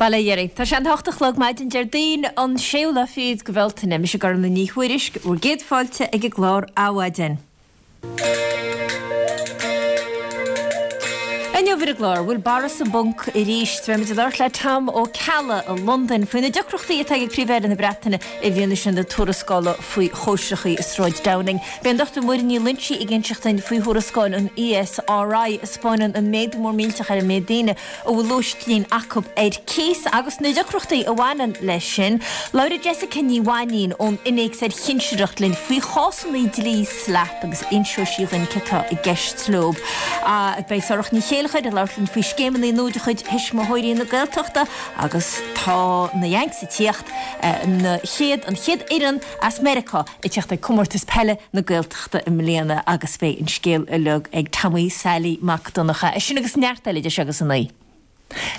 Bail ó Dhia oraibh. Tá sé an hocht a chlog maidin Déardaoin an séú lá fichead de Bhealtaine. Mise Gormlaith Ní Thuairisg, bhur gcéad fáilte ag an gclár Adhmhaidin. Inniu ar an gclár, bhfuil Boris sa bponc arís? Beimid ag labhairt le Tom Ó Ceallaigh i Londain faoi na deacrachtaí atá ag Príomh-Aire na Breataine i bhfianaise na tuarascála faoi chóisreachaí i Sráid Downing. Beidh an Dr Muireann Ní Loingsigh ag inseacht duinn faoi thuarascáil an ESRI a 'spáineann an méadú mór millteach ar an méid daoine a bhfuil lóistín acu ar cíos agus na deacrachtaí a bhaineann leis sin. Labhróidh Jessica Ní Mhainín ón Innéacs ar Chinsireacht linn faoi chásanna dlí SLAPP agus inseoidh sí dhuinn céard atá i gceist leo. Beidh Sorcha Ní Chéilleachair ag labhairt linn faoi scéimeanna nua de chuid Thuismitheoirí na Gaeltachta agus tá na Yanks ag tíocht, na chéad, an chéad fhoireann as Meiriceá ag teacht ag Comórtas Peile na Gaeltachta i mbliana agus beidh an scéal uilig ag Tomaí Sailí Mac Donncha. É sin agus neart eile idir seo agus a naoi.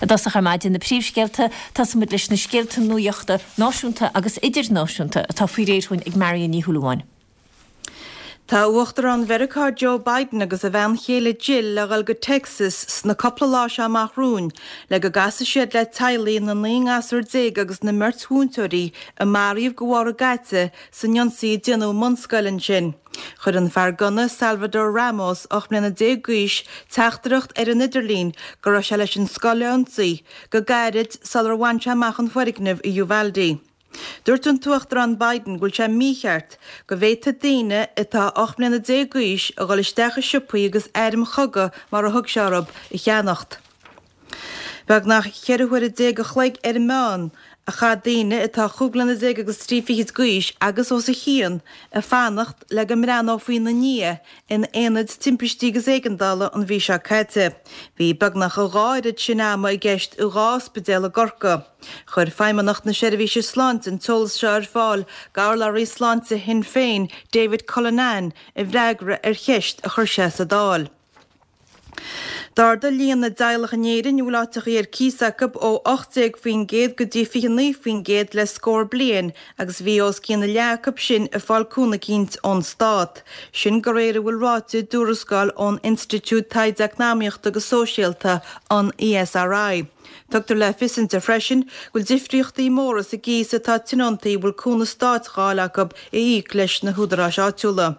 I dtosach ar maidin, na príomhscéalta, Tosaímid leis na scéalta nuachta náisiúnta agus idirnáisiúnta atá faoi réir chugainn ag Marion Ní Shúilleabháin. Tá Uachtarán Mheiriceá Joe Biden agus a bhean chéile Jill le dhul go Texas sna cupla lá seo amach romhainn le go gcasfaidh siad le teaghlaigh na 19 ngasúr agus na mbeirt mhúinteoirí a maraíodh go bharr an gcaite san ionsaí a déanadh i mbunscoil ansin. Chuir an fear gunna Salvador Ramos, 18 mbliana d'aois, teachtaireacht ar an idirlíon go raibh sé leis an scoil a ionsaí, go gairid sular bhain sé amach an foirgneamh i Uvalde. Dúirt an tUachtarán Biden go bhfuil sé mícheart go bhféadfadh daoine atá 18 mbliana d'aois a dhul isteach i siopaí agus airm chogaidh, mar a thug sé orthu, a cheannacht. Beagnach 14 huaire a chloig ar an meán a chaith daoine atá chúig bliana déag agus trí fichid d'aois agus os a chionn ag fanacht le go mbreathnófaí ina ndiaidh in aonaid timpistí agus éigeandála an mhí seo caite. Bhí beagnach a dhá oiread sin ama i gceist i dhá ospidéal i gCorcaigh. Chuir Feidhmeannacht na Seirbhíse Sláinte an t-eolas seo ar fáil d'urlabhraí sláinte Shinn Féin, David Cullinane, i bhfreagra ar cheist a chuir sé sa Dáil. D'ardaigh líon na dteaghlach in Éirinn a bhfuil áiteachaí ar cíos acu ó 18% go dtí 29% le scór bliain agus bhí os cionn a leath acu sin ag fáil cúnamh eicínt ón stát. Sin de réir a bhfuil ráite i dtuarascáil ón Institiúid Taighde Eacnamaíochta agus Sóisialta, an ESRI. Tugtar le fios inti freisin go bhfuil difríochtaí móra sa gcíos atá tionóntaí a bhfuil cúnamh stáit á fháil acu a íoc leis na húdaráis áitiúla.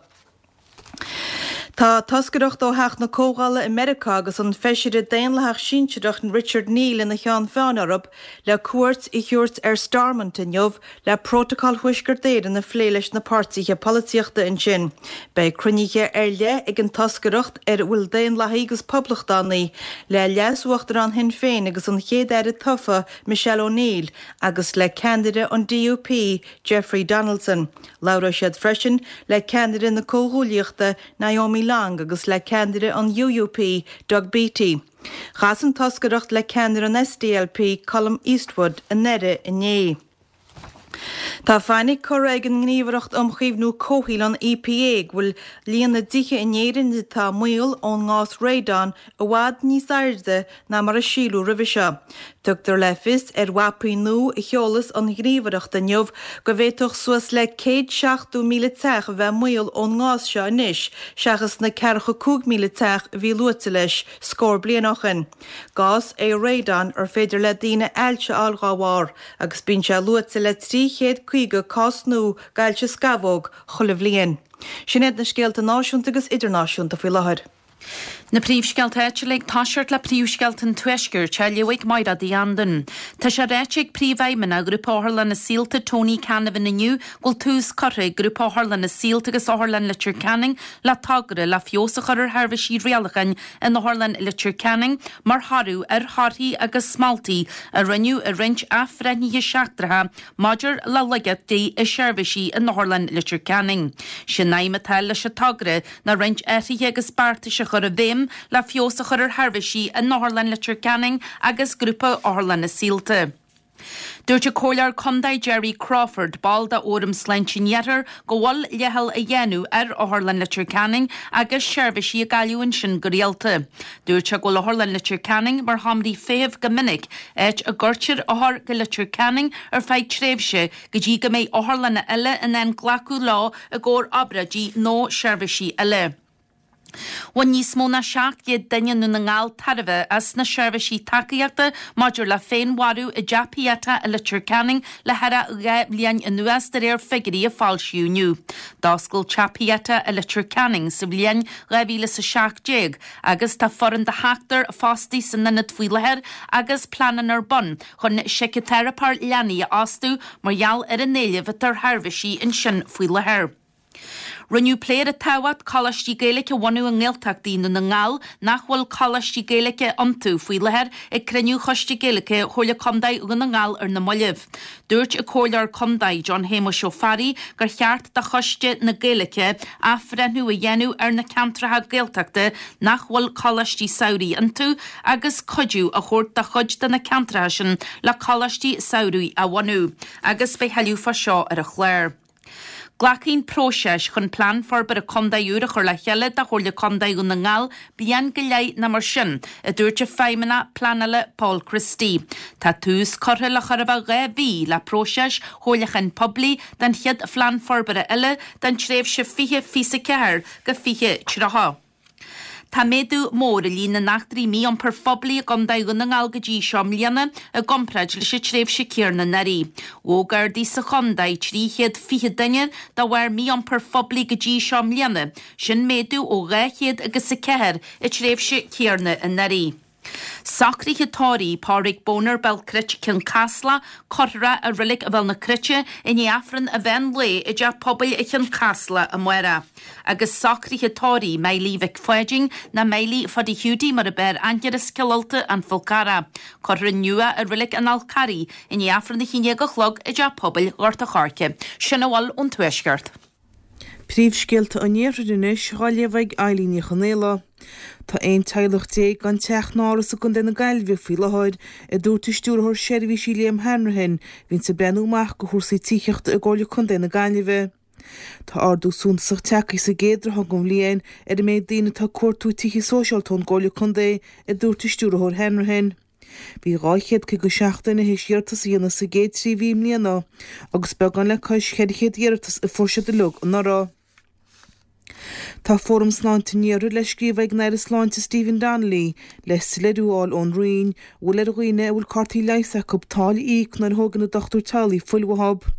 Tá toscaireacht ó Theach na Comhdhála i Meiriceá agus an feisire Daonlathach sinsearach Richard Neal ina cheann feadhain orthu le cuairt a thabhairt ar Stormont inniu le Prótacal Thuaisceart Éireann a phlé leis na páirtithe polaitíochta ansin. Beidh cruinnithe ar leith ag an toscaireacht, ar a bhfuil Daonlathaigh agus Poblachtánaigh, le Leas-Uachtarán Shinn Féin agus an Chéad-Aire tofa Michelle O'Neill agus le ceannaire an DUP Jeffrey Donaldson. Labhróidh siad freisin le ceannaire na Comhghuaillíochta, Naomi Long agus le ceannaire an UUP, Doug Beattie. Chas an toscaireacht le ceannaire an SDLP, Colum Eastwood, i nDoire inné. Tá fainic curtha ag an nGníomhaireacht um Chaomhnú Comhshaoil, an EPA, go bhfuil líon na dtithe in Éirinn atá i mbaol ón ngás radon i bhfad níos airde ná mar a síleadh roimhe seo. Tugtar le fios ar mhapaí nua a sheolas an Ghníomhaireacht inniu go bhféadfadh suas le 170,000 teach a bheith i mbaol ón ngás seo anois seachas na ceathracha 5,000 teach a bhí luaite leis scór bliain ó shin. Gás é radon ar féidir le daoine ailse a fháil dhá bharr agus bíonn sé luaite le 350 cás nua d'ailse scamhóg chuile bhliain. Sin iad na scéalta náisiúnta agus idirnáisiúnta faoi láthair. Na príomhscéalta áitiúla ag toiseacht le príomhscéalta an Tuaiscirt á léamh ag Mairéad Uí Anduin. Tá sé ráite ag Príomhfheidhmeannach Ghrúpa Otharlanna Saolta Tony Canavan inniu go bhfuil tús curtha ag Grúpa Otharlanna Saolta agus Otharlann Leitir Ceanainn le togra le feabhas a chur ar sheirbhísí rialacháin in Otharlann Leitir Ceanainn mar thoradh ar thorthaí agus moltaí a rinneadh i roinnt athbhreithnithe seachtracha maidir le laigeachtaí i seirbhísí in Otharlann Leitir Ceanainn. Sé'n aidhm atá leis an togra ná roinnt athruithe agus beartais a chur i bhfeidhm le feabhas a chur ar sheirbhísí in Otharlann Leitir Ceanainn agus Grúpa Otharlanna Saolta. Dúirt an Comhairleoir Contae Gerry Crawford, ball de Fhóram Sláinte an Iarthair, go bhfuil leithcheal á dhéanamh ar Otharlann Leitir Ceanainn agus seirbhísí á gcailleadh ansin go rialta. Dúirt sé go bhfuil Otharlann Leitir Ceanainn mar sheomraí feithimh go minic, áit a gcuirtear othair go Leitir Ceanainn ar feadh tréimhse go dtí go mbeidh otharlanna eile in ann glacadh leo i gcomhair obráidí nó seirbhísí eile. Bhain níos mó ná 700 duine i nDún na nGall tairbhe as na seirbhísí tacaíochta maidir le féinmharú i dTeach Pieta i Leitir Ceanainn le thar 2 bhliain anuas, de réir figiúirí a foilsíodh inniu. D'oscail Teach Pieta i Leitir Ceanainn sa bhliain 2017 agus tá foireann de sheachtar fostaithe san ionad faoi láthair agus pleananna ar bun chun síciteiripeoir leanaí a fhostú mar gheall ar an éileamh atá ar sheirbhísí ansin faoi láthair. Rinneadh plé ar an tábhacht coláistí Gaeilge a bhunú i nGaeltachtaí Dhún na nGall nach bhfuil coláistí Gaeilge iontu faoi láthair ag cruinniú Choiste Gaeilge Chomhairle Contae Dhún na nGall ar na mallaibh. Dúirt an Comhairleoir Contae John Shéamuis Ó Fearraigh gur cheart do Choiste na Gaeilge athbhreithniú a dhéanamh ar na ceantracha Gaeltachta nach bhfuil coláistí samhraidh iontu agus cuidiú a thabhairt do chuid de na ceantracha sin le coláistí samhraidh a bhunú agus beidh thuilleadh fá seo ar an chlár. Glacfaidh an próiseas chun Plean Forbartha Contae úr a chur le chéile do Chomhairle Contae Dhún na nGall bliain go leith nó mar sin, a dúirt an Feidhmeannach Pleanála Paul Christie. Tá tús curtha le chóir a bheith 2 mhí le próiseas chomhairliúcháin poiblí don chéad Phlean Forbartha eile don tréimhse 2024 go 2030. Tá méadú mór i líon na n-eachtraí mí-iompair phoiblí i gContae Dhún na nGall go dtí seo i mbliana i gcomparáid leis an tréimhse céarna anuraidh. Ghabh Gardaí sa chontae 320 duine de bharr mí-iompair phoiblí go dtí seo i mbliana, sin méadú ó 200 agus 4 an tréimhse céarna anuraidh. Socruithe tórraimh Pádraig Boner, Béal Cruite, Cionn Caslach, Cuirfear é i Reilig Bhéal na Cruite i ndiaidh Aifreann an mheán lae i dTeach Pobail Chionn Caslach amárach. Agus socruithe tórraimh Miley Mhic Pháidín, nó Miley Phuddy Hiúdaí mar a b'fhearr aithne air as Cill Ulta, An Fál Carrach. Cuirfear inniu é i Reilig an Fháil Charraigh i ndiaidh Aifreann a haon déag a chlog i dTeach Pobail Ghort a' Choirce. Sin a bhfuil ón Tuaisceart. Príomhscéalta an Iarthair anois dhá léamh ag Eilín Ní Chonaola. Tá 11 teaghlach gan teach ná áras i gContae na Gaillimhe faoi láthair, a dúirt an Stiúrthóir Seirbhísí Liam Hanrahan, a bhíonns ag breathnú amach go chúrsaí tithíochta i gComhairle Contae na Gaillimhe. Tá ardú suntasach tagtha sa gcéad ráithe den bhliain ar an méid daoine atá ag cuartú tithe sóisialta ón gComhairle Contae, a dúirt an Stiúrthóir Hanrahan. Bhí 257 duine théis iarratas a dhéanamh sa gcéad 3 mhí i mbliana agus beagán le cois 400 iarratas a fuair siad uilig anuraidh. Tá Fóram Sláinte an Iarthair le scríobh ag an Aire Sláinte Stephen Donnelly le soiléiriú a fháil ón Roinn an bhfuil ar dhaoine a bhfuil cártaí leighis acu táille a íoc nuair a thógann a dochtúir teaghlaigh fuil uathu.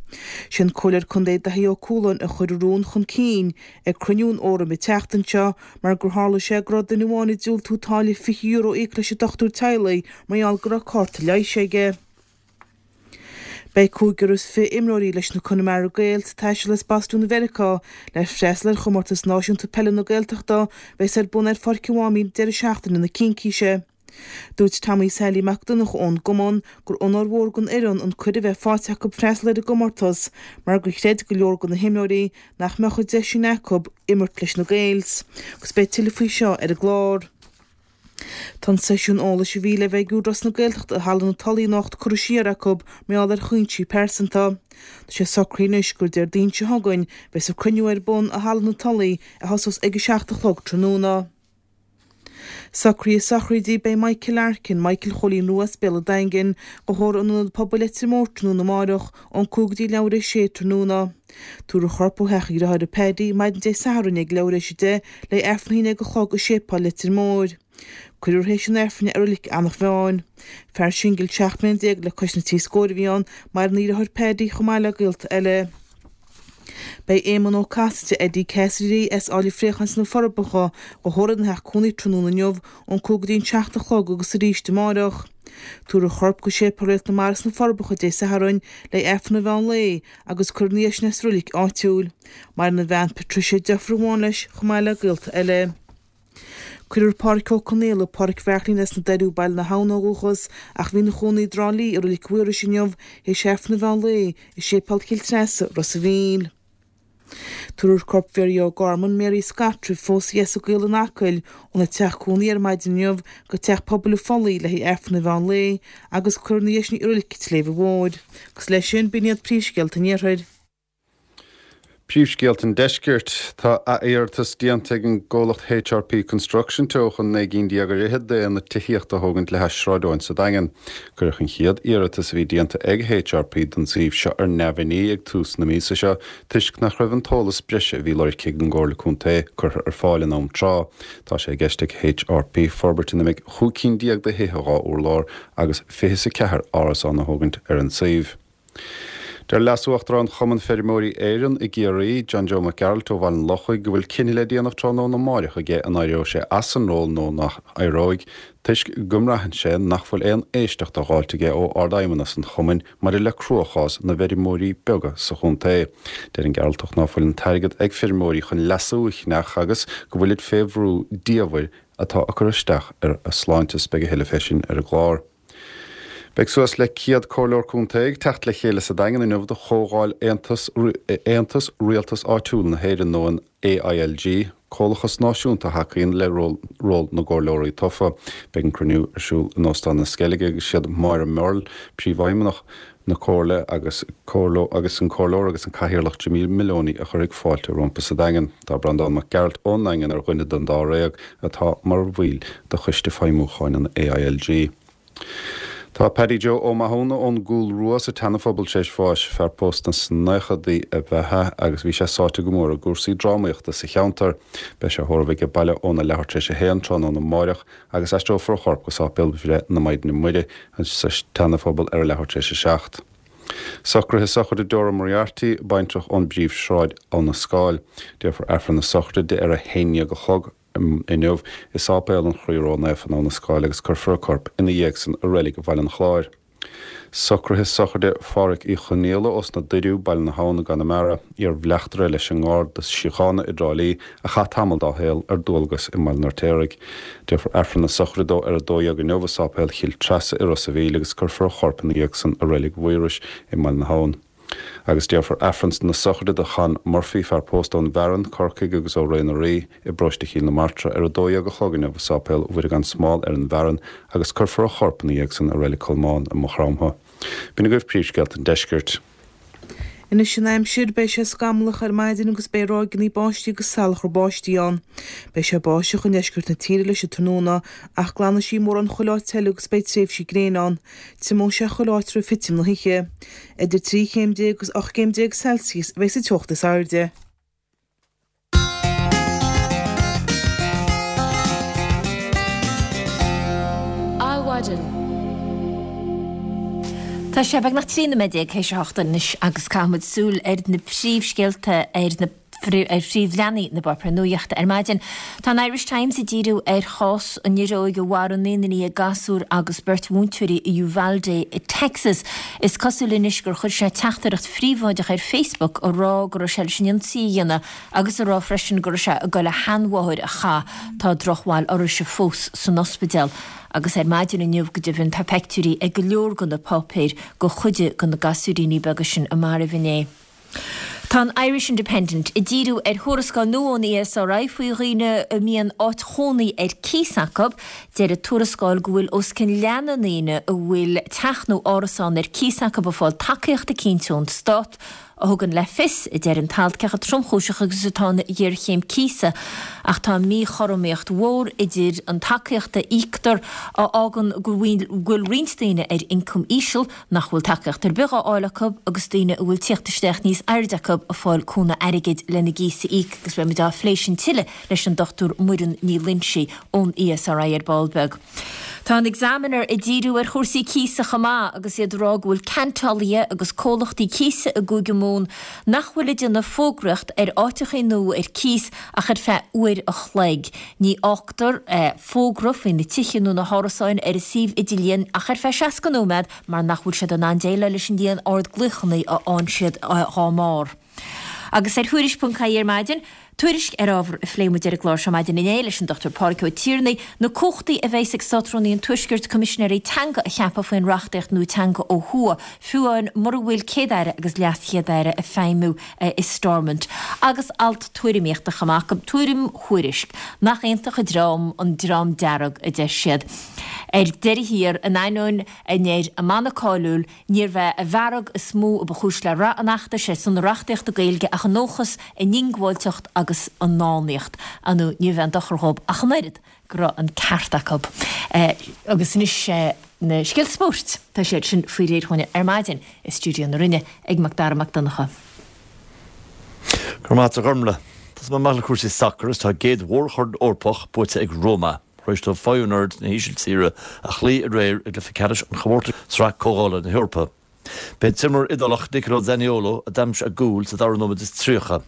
Sé an Comhairleoir Contae Daithí Ó Cualáin a chuir an rún chun cinn ag cruinniú an Fhóraim an tseachtain seo mar gur tharla sé go raibh duine amháin ag diúltú táille €20 a íoc leis an dochtúir teaghlaigh mar gheall go raibh cárta leighis aige. Beidh cúigear is 20 imreoirí leis na Connemara Gaels ag taisteal as Bostún i Mheiriceá le freastal ar Chomórtas Náisiúnta Peile na Gaeltachta a bheas ar bun ar Pháirc an Mháimín deireadh seachtaine na Cincíse. Dúirt Tommy Sailí Mac Donncha ón gcumann gur onóir mhór don fhoireann an cuireadh a bheith faighte acu freastal ar an gcomórtas mar gur chreid go leor de na himreoirí nach mbeadh an deis sin acu imirt leis na Gaels. Agus beidh tuilleadh faoi seo ar an gclár. Tá an seisiún eolais a bhí le bheith ag Údarás na Gaeltachta i Halla na Tulaí anocht curtha siar acu mar gheall ar chúinsí pearsanta. Tá sé socraithe anois gur Déardaoin seo chugainn a bheas an cruinniú ar bun i Halla na Tulaí a thosós ag 7 a chlog tráthnóna. Socruithe sochraide Beidh Michael Larkin, Michael Chóilín Rua as Béal an Daingin, dhá thórramh in Ionad Pobail Leitir Móir tráthnóna amárach ón 5 go dtí leathuair théis 6 tráthnóna. Tabharfar a chorp ó theach a dhriotháire Paddy maidin Dé Sathairn ag leathuair théis 10 le Aifreann a haon déag a chlog i Séipéal Leitir Móir. Cuirfear théis an Aifrinn é i Reilig Eanach Mheáin. Fear singil 17 mbliana le cois na trí scóir a bhí ann, maireann a dheartháir Paddy chomh maith le gaolta eile. Beidh Éamonn Ó Casaide, Eddie Cassidy, as Áill an Phréacháin sna Forbacha, dhá thórramh ina theach cónaí tráthnóna inniu ón 5 go dtí an 7 a chlog agus arís amárach. Tabharfar a chorp go Séipéal Réalt na Mara sna Forbacha Dé Sathairn le Aifreann an mheán lae agus cuirfear ina dhiaidh sin é sa roilig áitiúil. Maireann a bhean Patricia, deirfiúr amháin leis, chomh maith le gaolta eile. Cuirfear Pádhraic Ó Conaola, Pádhraic Bheairtlín as na Doiriú, Baile na hAbhann ó dhúchas, ach a bhí ina chónaí i dTrá Lí i Roilig Mhaorais inniu, théis Aifreann an mheán lae, i Séipéal Chill Treasa, Ros a' Mhíl. Tabharfar corp Mhary O'Gorman, Mary Scott roimh phósadh í as an gCaol in Acaill, óna teach cónaí ar maidin inniu go Teach Pobail an Phollaigh le haghaidh Aifreann an mheán lae agus cuirfear ina dhiaidh sin í i Roilig an tSléibhe Mhóir. Agus leis sin, b'in iad príomhscéalta an Iarthair. Príomhscéalta an Deiscirt. Tá ath-iarratas déanta ag an gcomhlacht HRP Construction Teo chun 19 gcinn ar fhichead d'aonad tithíochta a thógaint le hais Sráid Eoin sa Daingean. Cuireadh an chéad iarratas a bhí déanta ag HRP don suíomh seo ar neamhní ag tús na míosa seo toisc nach raibh an t-eolas breise a bhí lorgtha ag an gComhairle Contae curtha ar fáil in am tráth. Tá sé i gceist ag HRP forbairt ina mbeidh 15 cinn de thithe 2 urlár agus 24 árasán a thógaint ar an suíomh. Deir Leas-Uachtarán Chumann Feirmeoirí Éireann i gCiarraí, John Joe Mac Gearailt ó Bhaile an Lochaigh, go bhfuil cinneadh le déanamh tráthnóna amáireach aige an éireoidh sé as an ról nó nach éireoidh, toisc go mbraitheann sé nach bhfuil aon éisteacht á dh'fháilt aige ó Ard-Fheidhmeannas an Chumainn maidir le cruachás na bhfeirmeoirí beaga sa chontae. Deir an Gearaltach ná fuil an t-airgead ag feirmeoirí chun leasú a cheannach agus go bhfuilid fé bhrú diamhair atá ag cur isteach ar a sláinte. Beidh a thuilleadh fé sin ar an gclár. Beidh suas le 100 Comhairleoir Contae ag teacht le chéile sa Daingean inniu do chomhdháil Aontas Aontas Rialtas Áitiúil na hÉireann nó an AILG, comhlachas náisiúnta a thacaíonn le ról ról na gcomhairleoirí tofa. Beidh an cruinniú ar siúl in Óstán na Sceilge agus siad Máire Murle, Príomhfheidhmeannach na Comhairle agus agus an Comhairleoir agus an Cathaoirleach Jimmy Moloney a chuirfidh fáilte rompu sa Daingean. Tá Breandán Mac Gearailt ón nDaingean ar dhuine den dáréag atá mar bhaill de Choiste Feidhmiúcháin an AILG. Tá Paddy Joe Ó Mathúna ón gCúl Rua sa tSeanaphobal tar éis bháis. Fear pósta sna naochadaí ab ea é agus bhí sé sáite go mór i gcúrsaí drámaíochta sa cheantar. Beidh sé á thórramh aige baile óna leathuair tar éis a haon tráthnóna amáireach agus aistreofar a chorp go Sáipéal Bhreith na Maighdine Muire sa tSeanaphobal ar a leathuair tar éis a seacht. Socruithe sochraide Dora Moriarty, baintreach ón bPríomhshráid, Abha na Scáil. Déarfar Aifreann na sochraide di ar a haon ndéag a chlog. inniu i Sáipéal an Chroí Ró-Naofa in Abha na Scáil agus cuirfear a corp ina dhiaidh san i Reilig Bhaile an Chláir. Socruithe sochraide Phádhraic Uí Chonaola ós na Doiriú, Baile na hAbhann i gConamara, iar-bhleachtaire leis an nGarda Síochána i dTrá Lí a chaith tamall dá shaol ar dualgas i mBaile an Fheirtéaraigh. Déarfar Aifreann na sochraide dó ar 12 inniu i Sáipéal Chill Treasa i Ros a' Mhíl agus cuirfear a chorp ina dhiaidh san i Reilig Mhaorais i mBaile na hAbhann. Agus déarfar Aifreann na sochraide do Chon Murphy, fear pósta ón bhFearann, Corcaigh agus ó Ré na Rí, i bParóiste Chill na Martra ar 12 a chlog inniu i Sáipéal Mhuire gan Smál ar an bhFearann agus cuirfear a chorp ina dhiaidh san i Reilig Cholmáin i Maigh Chromtha. B'in agaibh príomhscéalta an deiscirt. Anois an aimsir, beidh sé scamallach ar maidin agus beidh ráigeanna báistí agus salachar báistí ann. Beidh sé báisteach i ndeisceart na tíre leis an tráthnóna ach glanfaidh sí mórán chuile áit eile agus beidh tréimhsí gréine ann. Triomóidh sé chuile áit roimh thitim na hoíche. Idir 13 chéim agus 18 gcéim Celsius a bheidh sa teocht is airde. Adhmhaidin. Tá sé beagnach 13 nóiméad théis a hocht anois agus caithfimid súil ar na príomhscéalta ar na ar phríomhleathanaigh na bpáipéar nuachta ar maidin. Tá an Irish Times ag díriú ar chás an fhir óig a mharaigh naonúr déag gasúr agus beirt mhúinteoirí i Uvalde i Texas. Is cosúil anois gur chuir sé teachtaireacht phríobháideach ar Facebook a rá go raibh sé leis an ionsaí a dhéanamh agus a rá freisin go raibh sé ag goil a sheanmháthair a chath. Tá drochbhail uirthise fós san ospidéal. Agus ar maidin inniu go deimhin tá peictiúirí ag go leor de na páipéir de chuid de na gasúiríní beaga sin a maraíodh inné. Tá an Irish Independent ag díriú ar thuarascáil nua ón ESRI faoi dhaoine a mbíonn áit chónaí ar cíos acu. Deir an tuarascáil go bhfuil os cionn leath na ndaoine a bhfuil teach nó árasán ar cíos acu ag fáil tacaíocht eicínt ón stát, a thugann le fios, a deir an t-alt, cé chomh tromchúiseach agus atá an ghéarchéim cíosa. Ach tá míchothromaíocht mhór idir an tacaíocht a íoctar, a fhágann go bhfuil roinnt daoine ar ioncam íseal, nach bhfuil tacaíocht ar bith á fháil acu agus daoine a bhfuil tíocht isteach níos airde acu ag fáil cúnamh airgid lena gcíos a íoc agus beidh muid á phlé sin tuilleadh leis an Dr Muireann Ní Loingsigh ón ESRI ar ball beag. Tá an Examiner ag díriú ar chúrsaí cíosa chomh maith agus iad ag rá go bhfuil ceantálaithe agus comhlachtaí cíosa i gCúige Mumhan nach bhfuil ag déanamh fógraíocht ar áiteachaí nua ar cíos ach ar feadh uair a chloig. Ní fhágtar fógra faoi na tithe nó na hárasáin ar an suíomh idirlíon ach ar feadh 60 nóiméad mar nach bhfuil siad in ann déileáil leis an líon ard glaochanna a fhaigheann siad dá mbarr. Agus ar Thuairisc.ie ar maidin, Tuairisc ar ábhar a phléigh muid ar an gclár seo maidin inné leis an Dr Pádraig Ó Tiarnaigh, na cumhachtaí a bheas ag Státrúnaí an Tuaiscirt coimisinéirí teanga a cheapadh faoin reachtaíocht nua teanga ó thuaidh, fiú amháin mura bhfuil Céad-Aire agus LeasChéad-Aire ag feidhmiú i Stormont. Agus alt tuairimíochta chomh maith acu, Tuairim Thuairisc. Nach iontach an dream an Dream Dearg, a deir siad. Ar deireadh thiar, in ainneoin a ndeir a mana cáiliúil, Níorbh é an bhfearg is mó a ba chúis le rath an fheachtais ar son na reachtaíochta Gaeilge ach a ndóchas, a ndiongbháilteacht agus a ndánaíocht. Ar ndóigh, níorbh aon dochar dhóibh ach an oiread go raibh an ceart acu. Agus anois na scéalta spóirt, tá siad sin faoi réir chugainne ar maidin i stiúideo na Rinne ag Mac Dara Mac Donncha. Go raibh maith agat a Ghormlaith. Tosóidh mé amach le cúrsaí sacair agus tá a gcéad mhórchorn Eorpach buaite ag Roma. Tar éis dóibh Feyenoord na hÍsiltíre a chloí aréir i gcluiche ceannais an chomórtais Sraith Comhdhála na hEorpa. B'é an t-imreoir Iodálach Nicolo Zaniolo a d'aimsigh a gcúl sa dara nóiméad is 30.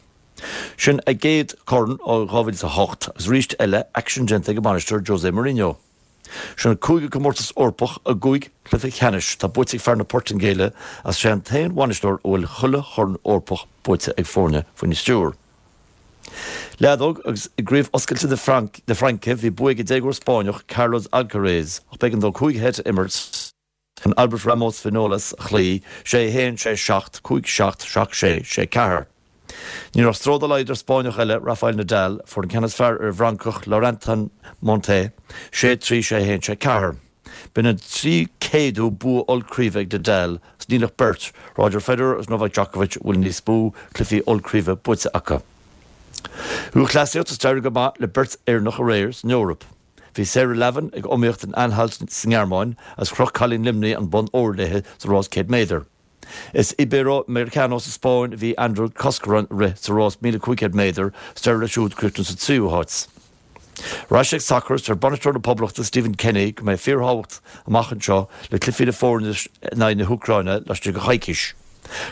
Sin a gcéad chorn ó 2008 agus arís eile aicsean déanta ag a mbainisteoir Jose Mourinho. Sin an cúigiú comórtas Eorpach i gcúig chluiche ceannais atá buaite ag fear na Portaingéile agus is é an t-aon bhainisteoir a bhfuil chuile chorn Eorpach buaite ag foirne faoina stiúir. Leadóg agus i gCraobh Oscailte na Fraince bhí bua ag an déagóir Spáinneach Carlos Alcaraz ach b'éigean dó 5 sheit a imirt chun Albert Ramos Vinolas a chloí, 6 1, 6 7, 5 7, 7 6, 6 4. Ní raibh stró dá laghad ar Spáinneach eile, Rafael Nadal, a fuair an ceann is fearr ar an bhFrancach Laurentin Montet, 6 3, 6 1, 6 4. B'in an 300ú bua ollchraoibhe ag Nadal agus níl ach beirt, Roger Federer agus Novak Djokovic, a bhfuil níos mó cluichí ollchraoibhe buaite acu. Lúthchleasaíocht Is d'éirigh go maith le beirt Éireannach aréir san Eoraip. Bhí Sarah Lavin ag iomaíocht in Anhalt sa nGearmáin agus chroch cailín Luimnigh an bonn óir léi sa rás 100 méadar. Is Iberoamericano sa Spáinn a bhí Ander Coscoran ag rith sa rás 1,500 méadar is d'éirigh leis siúd críochnú sa tríú háit. Ar ais ag sacar, deir bainisteoir na Poblachta Stephen Kenny go mbeidh fíorthábhacht amach anseo le cluichí na foirne in aghaidh na hÚcráine laistigh de choicís.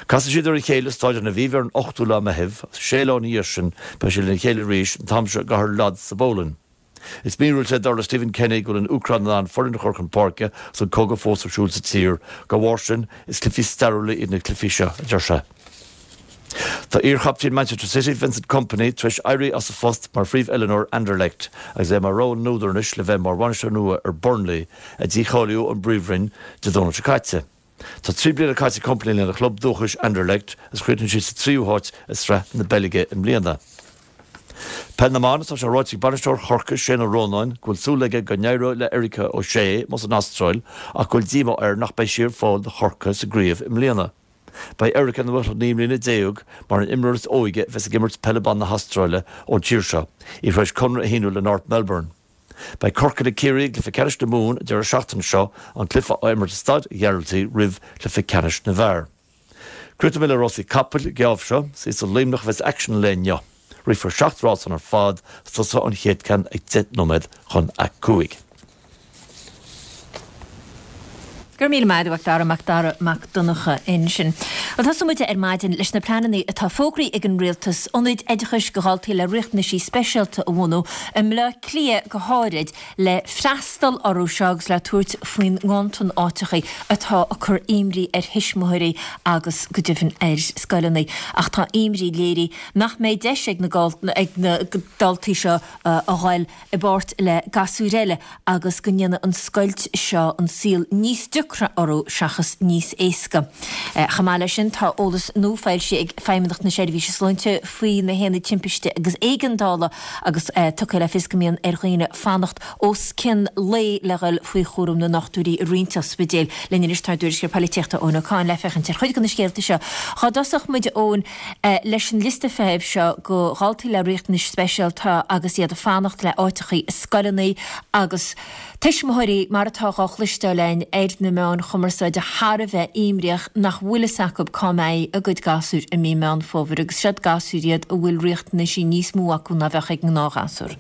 Casfaidh siad ar a chéile i Stáid an Aviva ar an 8ú lá Meitheamh agus sé lá ina dhiaidh sin beidh siad lena chéile arís, an t-am seo i gcathair Lodz sa bPolainn. Is míorúilt é dar le Stephen Kenny go bhfuil an Úcráin in ann foireann a chur chun páirce agus an cogadh fós ar siúl sa tír. Dá bharr sin, is cluichí stairiúla iad na cluichí seo, a deir sé. Tá iarchaptaen Manchester City, Vincent Kompany, tar éis éirí as a phost mar phríomh-oiliúnóir Anderlecht agus é mar rogha na n-údar anois le bheith mar bhainisteoir nua ar Burnley, a dícháilíodh ón bPríomhroinn Dé Domhnaigh seo caite. Tá 3 bliana caite ag Kompany lena chlub dúchais Anderlecht agus chríochnaigh siad sa tríú háit i Sraith na Beilge i mbliana. Peil na mBan, Tá sé ráite ag bainisteoir Chorcaí, Shane Ó Rónáin, go bhfuil súil aige go n-éireoidh le Erika O'Shea amuigh san Astráil ach go bhfuil díomá air nach mbeidh sí ar fáil do Chorcaigh sa gcraobh i mbliana. Beidh Erika ina 19 mbliana mar an imreoir is óige a bheas ag imirt peile ban na hAstráile ón tír seo, í tar éis conradh a shíniú le North Melbourne. Beidh Corcaigh le Ciarraí i gcluiche ceannais na Mumhan an deireadh seachtaine seo, an cluiche á imirt i Staid Ghearaltaigh roimh chluiche ceannais na bhfear. Críochnóidh mé le rásaí capaill an geábh seo. Is i Luimneach a bheas aicsean an lae inniu. Rithfear 7 rás ann ar fad agus tosóidh an chéad ceann ag 10 nóiméad chun a 5. Go raibh míle maith agat, a Mhac Dara, Mac Dara Mac Donncha ansin. Bhuel, tosóidh muid ar maidin leis na pleananna atá fógraithe ag an Rialtas ionaid oideachais do dhaltaí le riachtanaisí speisialta a bhunú, i mBleá Cliath go háirid, le freastal orthu seo agus le tabhairt faoin nganntan áiteachaí atá ag cur imní ar thuismitheoirí agus go deimhin ar scoileanna. Ach tá imní léirithe nach mbeidh deis ag na daltaí seo a ghoil i bpáirt le gasúir eile agus go ndéanfaidh an scoilt seo an saol níos deacra orthu seachas níos éasca. Chomh maith leis sin, tá eolas nua foilsithe ag Feidhmeannacht na Seirbhíse Sláinte faoi na haonaid timpiste agus éigeandála agus tugtha le fios go mbíonn ar dhaoine fanacht os cionn lae le dhul faoi chúram na ndochtúirí i roinnt ospidéil. Linn anois tá ár dtuairisceoir polaitíochta Eoin Ó Cadhain le féachaint ar chuid de na scéalta seo. Dhá dtosódh muid, a Eoin, Leis an liosta feithimh seo do dhaltaí le riachtanais speisialta agus iad ag fanacht le áiteachaí i scoileanna agus tuismitheoirí, mar atá dhá chloisteáil againn ar na meáin chumarsáide, thar a bheith imríoch nach bhfuil fhios acu cá mbeidh a gcuid gasúir i mí Meán Fómhair agus siod gasúir iad a bhfuil riachtanaisí níos mó acu ná bheadh ag an ngnáthghasúr.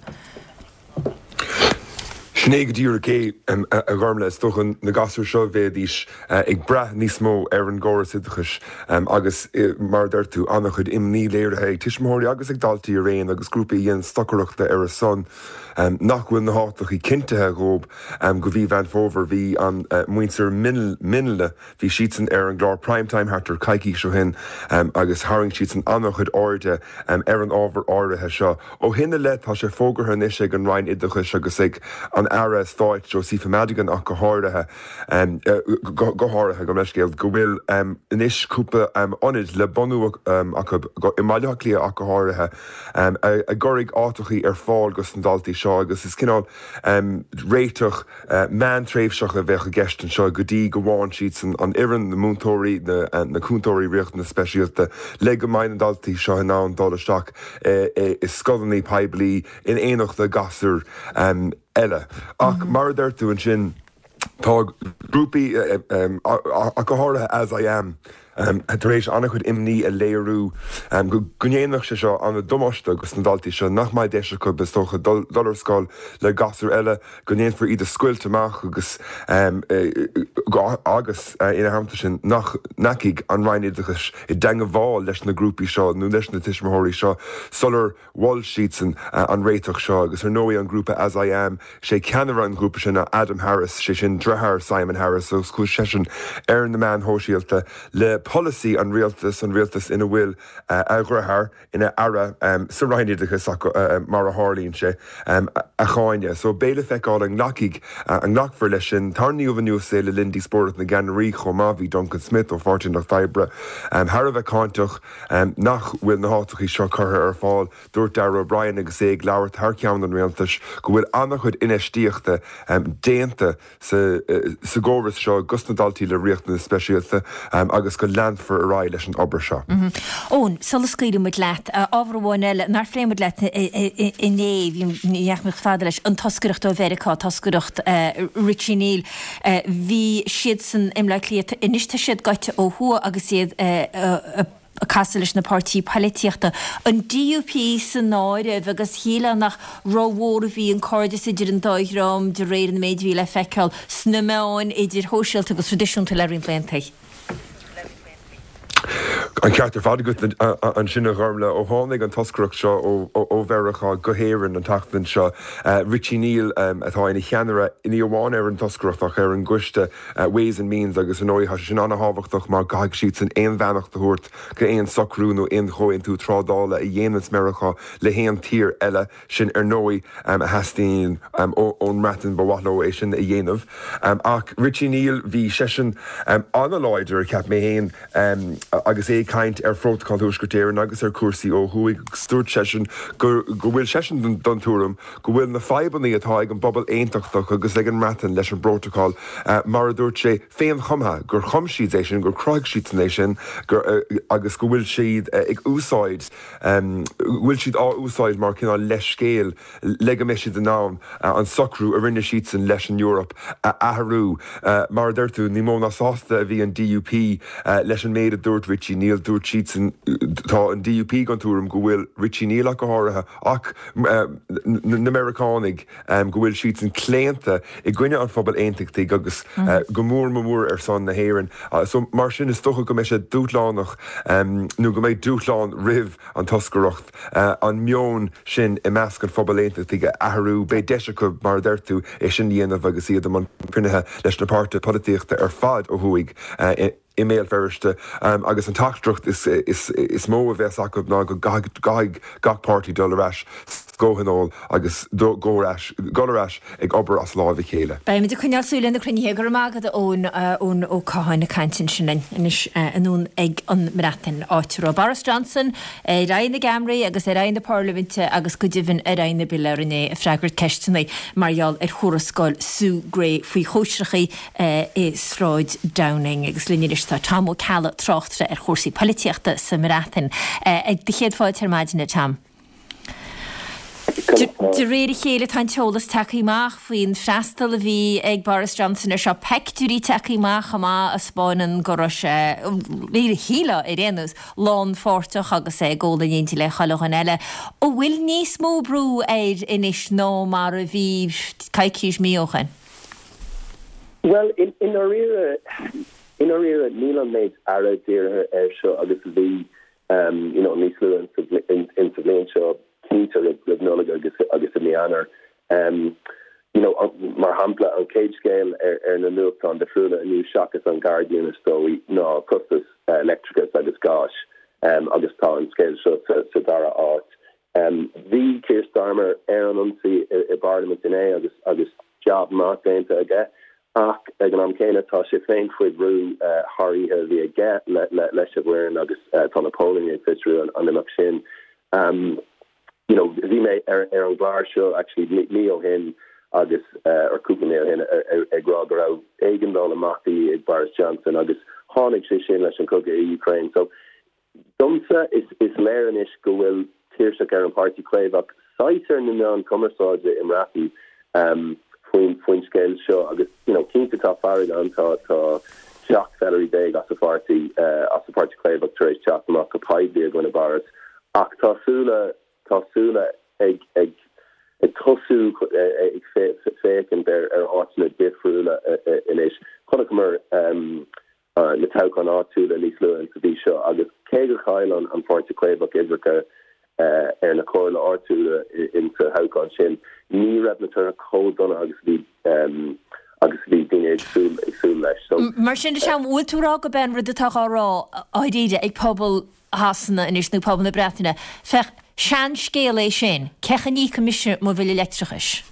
Sin é go díreach é, a Ghormlaith. Is dócha na gasúir seo, bheidís ag brath níos mó ar an gcóras oideachais agus, mar a deir tú, an-chuid imní léirithe ag tuismitheoirí agus ag daltaí araon agus grúpaí a dhéanann stocaireachta ar a son nach bhfuil na háiteachaí cinntithe dhóibh go mhí Mheán Fómhair. Bhí an muintir Minla, Bhí siadsan ar an gclár Prime Time thart ar coicís ó shin agus tharraing siadsan an-chuid airde ar an ábhar áirithe seo. Ó shin i leith tá sé fógartha anois ag an Roinn Oideachais agus ag an Aire Stáit Josepha Madigan ach go háirithe, go háirithe, gabh mo leithscéal, go bhfuil anois cúpla ionad le bunú acu i mBaile Átha Cliath ach go háirithe a gcuirfidh áiteachaí ar fáil dos na daltaí seo agus is cineál réiteach meántréimhseach a bheadh i gceist anseo go dtí go bhfaigheann siadsan an fhoireann, na múinteoirí, na cúntóirí riachtanas speisialta le go mbeidh na daltaí seo in ann dul isteach i scoileanna poiblí in éineacht le gasúir eile. Ach mar a deir tú ansin, tá grúpaí, ach go háirithe As I Am, tar éis an-chuid imní a léiriú go ndéanfadh sé seo an-damáiste dos na daltaí seo, nach mbeidh deis acu, is dócha, dul ar scoil le gasúir eile, go ndéanfar iad a scoilt amach agus agus ina theannta sin nach ndeachaigh an Roinn Oideachais i dteangmháil leis na grúpaí seo nó leis na tuismitheoirí seo sular Mhol siadsan an réiteach seo agus ar ndóigh an grúpa As I Am, sé ceannaire an ghrúpa sin ná Adam Harris, sé sin deartháir Simon Harris agus chuaigh seisean ar na meáin shóisialta le polasaí an rialtais, an rialtas ina bhfuil a dheartháir ina aire sa Roinn Oideachais mar a tharlaíonn sé, a cháineadh. So beidh le feiceáil an nglacfaidh, an nglacfar leis sin. Tarraingíodh anuas é le linn díospóireacht na gceannairí chomh maith, bhí Duncan Smith ó Pháirtí an Lucht Oibre thar a bheith cáinteach. nach bhfuil na háiteachaí seo curtha ar fáil. Dúirt Darragh O'Brien agus é ag labhairt thar ceann an Rialtais go bhfuil an-chuid infheistíochta déanta sa gcóras seo dos na daltaí le riachtanais speisialta agus go leanfar ar aghaidh leis an obair seo. Eoin, sula scaoilfidh muid leat, ábhar amháin eile nár phléigh muid leat inné, bhí, ní dheachaigh muid chomh fada leis, an toscaireacht ó Mheiriceá, toscaireacht Richie Neal. Bhí siadsan i mBleá Cliath, anois tá siad gaibhte ó thuaidh agus iad ag casadh leis na páirtí poilitíochta, an DUP san áireamh, agus shílfeá nach rómhór a bhí an cairdeas idir an dá dhream de réir an méid a bhí le feiceáil sna meáin, idir shóisialta agus thraidisiúnta le roinnt laethanta. An ceart ar fad agat ansin a Ghormlaith. Ó tháinig an toscaireacht seo ó Mheiriceá go hÉirinn an tseachtain seo, Richie Neal atá ina cheannaire ní amháin ar an toscaireacht ach ar an gcoiste Ways and Means agus ar ndóigh tá sé sin an-thábhachtach mar caithfidh siadsan aon bheannacht a thabhairt go aon socrú nó aon chomhaontú trádála a dhéananns Meiriceá le haon tír eile. Sin ar ndóigh a theastaíonn ón mBreatain, ba mhaith leo é sin a dhéanamh. Ach Richie Neal, bhí seisean an-láidir, cheap mé féin, agus é ag caint ar Phrótacal Thuaisceart Éireann agus ar chúrsaí ó thuaidh agus dúirt seisean go bhfuil seisean den tuairim go bhfuil na fadhbanna atá ag an bpobal aontachtach agus ag an mBreatain leis an bprótacal, mar a dúirt sé, féinchumtha, gur chum siad é sin, gur chruthaigh siadsan é sin agus go bhfuil siad ag úsáid. go bhfuil siad á úsáid mar cineál leithscéal le go mbeidh siad in ann an socrú a rinne siadsan leis an Eoraip a athrú. Mar a deir tú, ní mó ná sásta a bhí an DUP leis an méid a dúirt Richie Neal. Dúirt siadsan, tá an DUP den tuairim go bhfuil Richie Neal ach go háirithe, ach na Meiriceánaigh, go bhfuil siadsan claonta i gcoinne an phobail aontachtaigh agus go mór mór ar son na hÉireann. So mar sin is dócha go mbeidh sé dúshlánach nó go mbeidh dúshlán roimh an toscaireacht an meon sin i measc an phobail aontachtaigh a athrú. Beidh deis acu, mar a deir tú, é sin a dhéanamh agus iad i mbun cruinnithe leis na páirtithe polaitíochta ar fad ó thuaidh. i mBéal Feirste agus an teachtaireacht is mó a bheas acu ná go gcaithfidh gach páirtí dul ar ais sa gcomhthionól agus dul ar ais ag obair as láimh a chéile. Beimid ag coinneáil súil ar na cruinnithe. Go raibh maith agat, a Eoin, Eoin Ó Catháin ag caint ansin linn anois anonn ag an mBreatain, áit a raibh Boris Johnson ar aghaidh na gceamaraí agus ar aghaidh na parlaiminte agus go deimhin ar aghaidh na bpiléar inné ag freagairt ceisteanna mar gheall ar thuarascáil Sue Gray faoi chóisreachaí i Sráid Downing. Agus linn anois tá Tom Ó Ceallaigh, tráchtaire ar chúrsaí polaitíochta sa mBreatain. Do chéad fáilte ar maidin, a Tom. De réir a chéile tá an t-eolas tagtha amach faoin freastal a bhí ag Boris Johnson ar seo, peictiúirí tagtha amach chomh maith a 'spáineann go raibh sé, shílfeá ar aon nós, lánpháirteach agus é ag ól in éindí le chuile dhuine eile. An bhfuil níos mó brú air anois ná mar a bhí coicís, mí ó shin? Bhuel, i ndáiríre, i ndáiríre níl an méid aire dírithe air seo agus a bhí you know níos luaithe in sa bhliain seo, cinnte roimh Nollaig agus agus i mí Eanáir. You know, mar shampla, an chéad scéal ar ar na nuachtáin difriúla inniu seachas an Guardian is dóigh ná costas leictreachais agus gáis agus tá an scéal seo sa sa dara áit. Bhí Keir Starmer ar an ionsaí i i bParlaimint inné agus agus jab maith déanta aige Ach ag an am céanna tá sé féin faoi bhrú thar oíche a bhí aige leis an bhfoireann agus tá na póilíní ag fiosrú an imeacht sin. You know bhí mé ar an gclár seo actually mí ó shin agus or cúpla mí ó shin ag rá go raibh éigeandáil amach de dhíth ag Boris Johnson agus tháinig sé sin leis an chogadh i Ukraine. So Domsa, is léir anois go bhfuil tuirseach ar an Páirtí Caomhach, saghas ar na meáin cumarsáide i mBreatain faoin faoin scéal seo agus you know cinnte tá fearg ann, tá tá 17 feisirí as an pháirtí as an Páirtí Caomhach tar éis teacht amach go poiblí i gcoinne Boris ach tá súile tá súile ag ag ag tosú ag féachaint ar ar áiteanna difriúla anois. Chonaiceamar na toghcháin áitiúla níos luaithe insa mhí seo agus cé gur chaill an Páirtí Caomhach uimhreacha ar na comhairle áitiúla insa thoghchán sin, ní raibh na torthaí chomh dona agus a bhí agus a bhí daoine ag súil ag súil leis. So. Mar sin de, an bhfuil tú ag rá gurb é an rud atá á rá dháiríre ag pobal Shasana anois nó pobal na Breataine, féach, seanscéal é sin, cén chaoi a n-íocfaidh mise mo bhille leictreachais?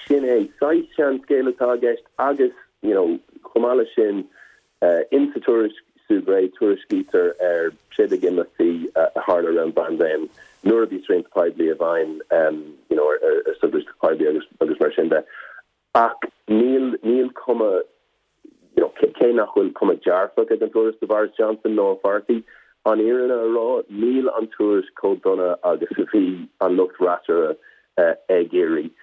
Sin é, saghas seanscéal atá i gceist agus you know chomh maith leis sin, insa tuairisc Sue Gray tuairiscítear ar 16 imeachtaí a tharla around bpaindéim nuair a bhí srianta poiblí i bhfeidhm you know ar soghluaisteacht poiblí agus agus mar sin de. Ach níl níl cuma you know cé nach bhfuil cuma dearfach ag an tuairisc do Boris Johnson nó a pháirtí, an fhírinne a rá, níl an tuairisc chomh dona agus a bhí an lucht freasúra ag iarraidh.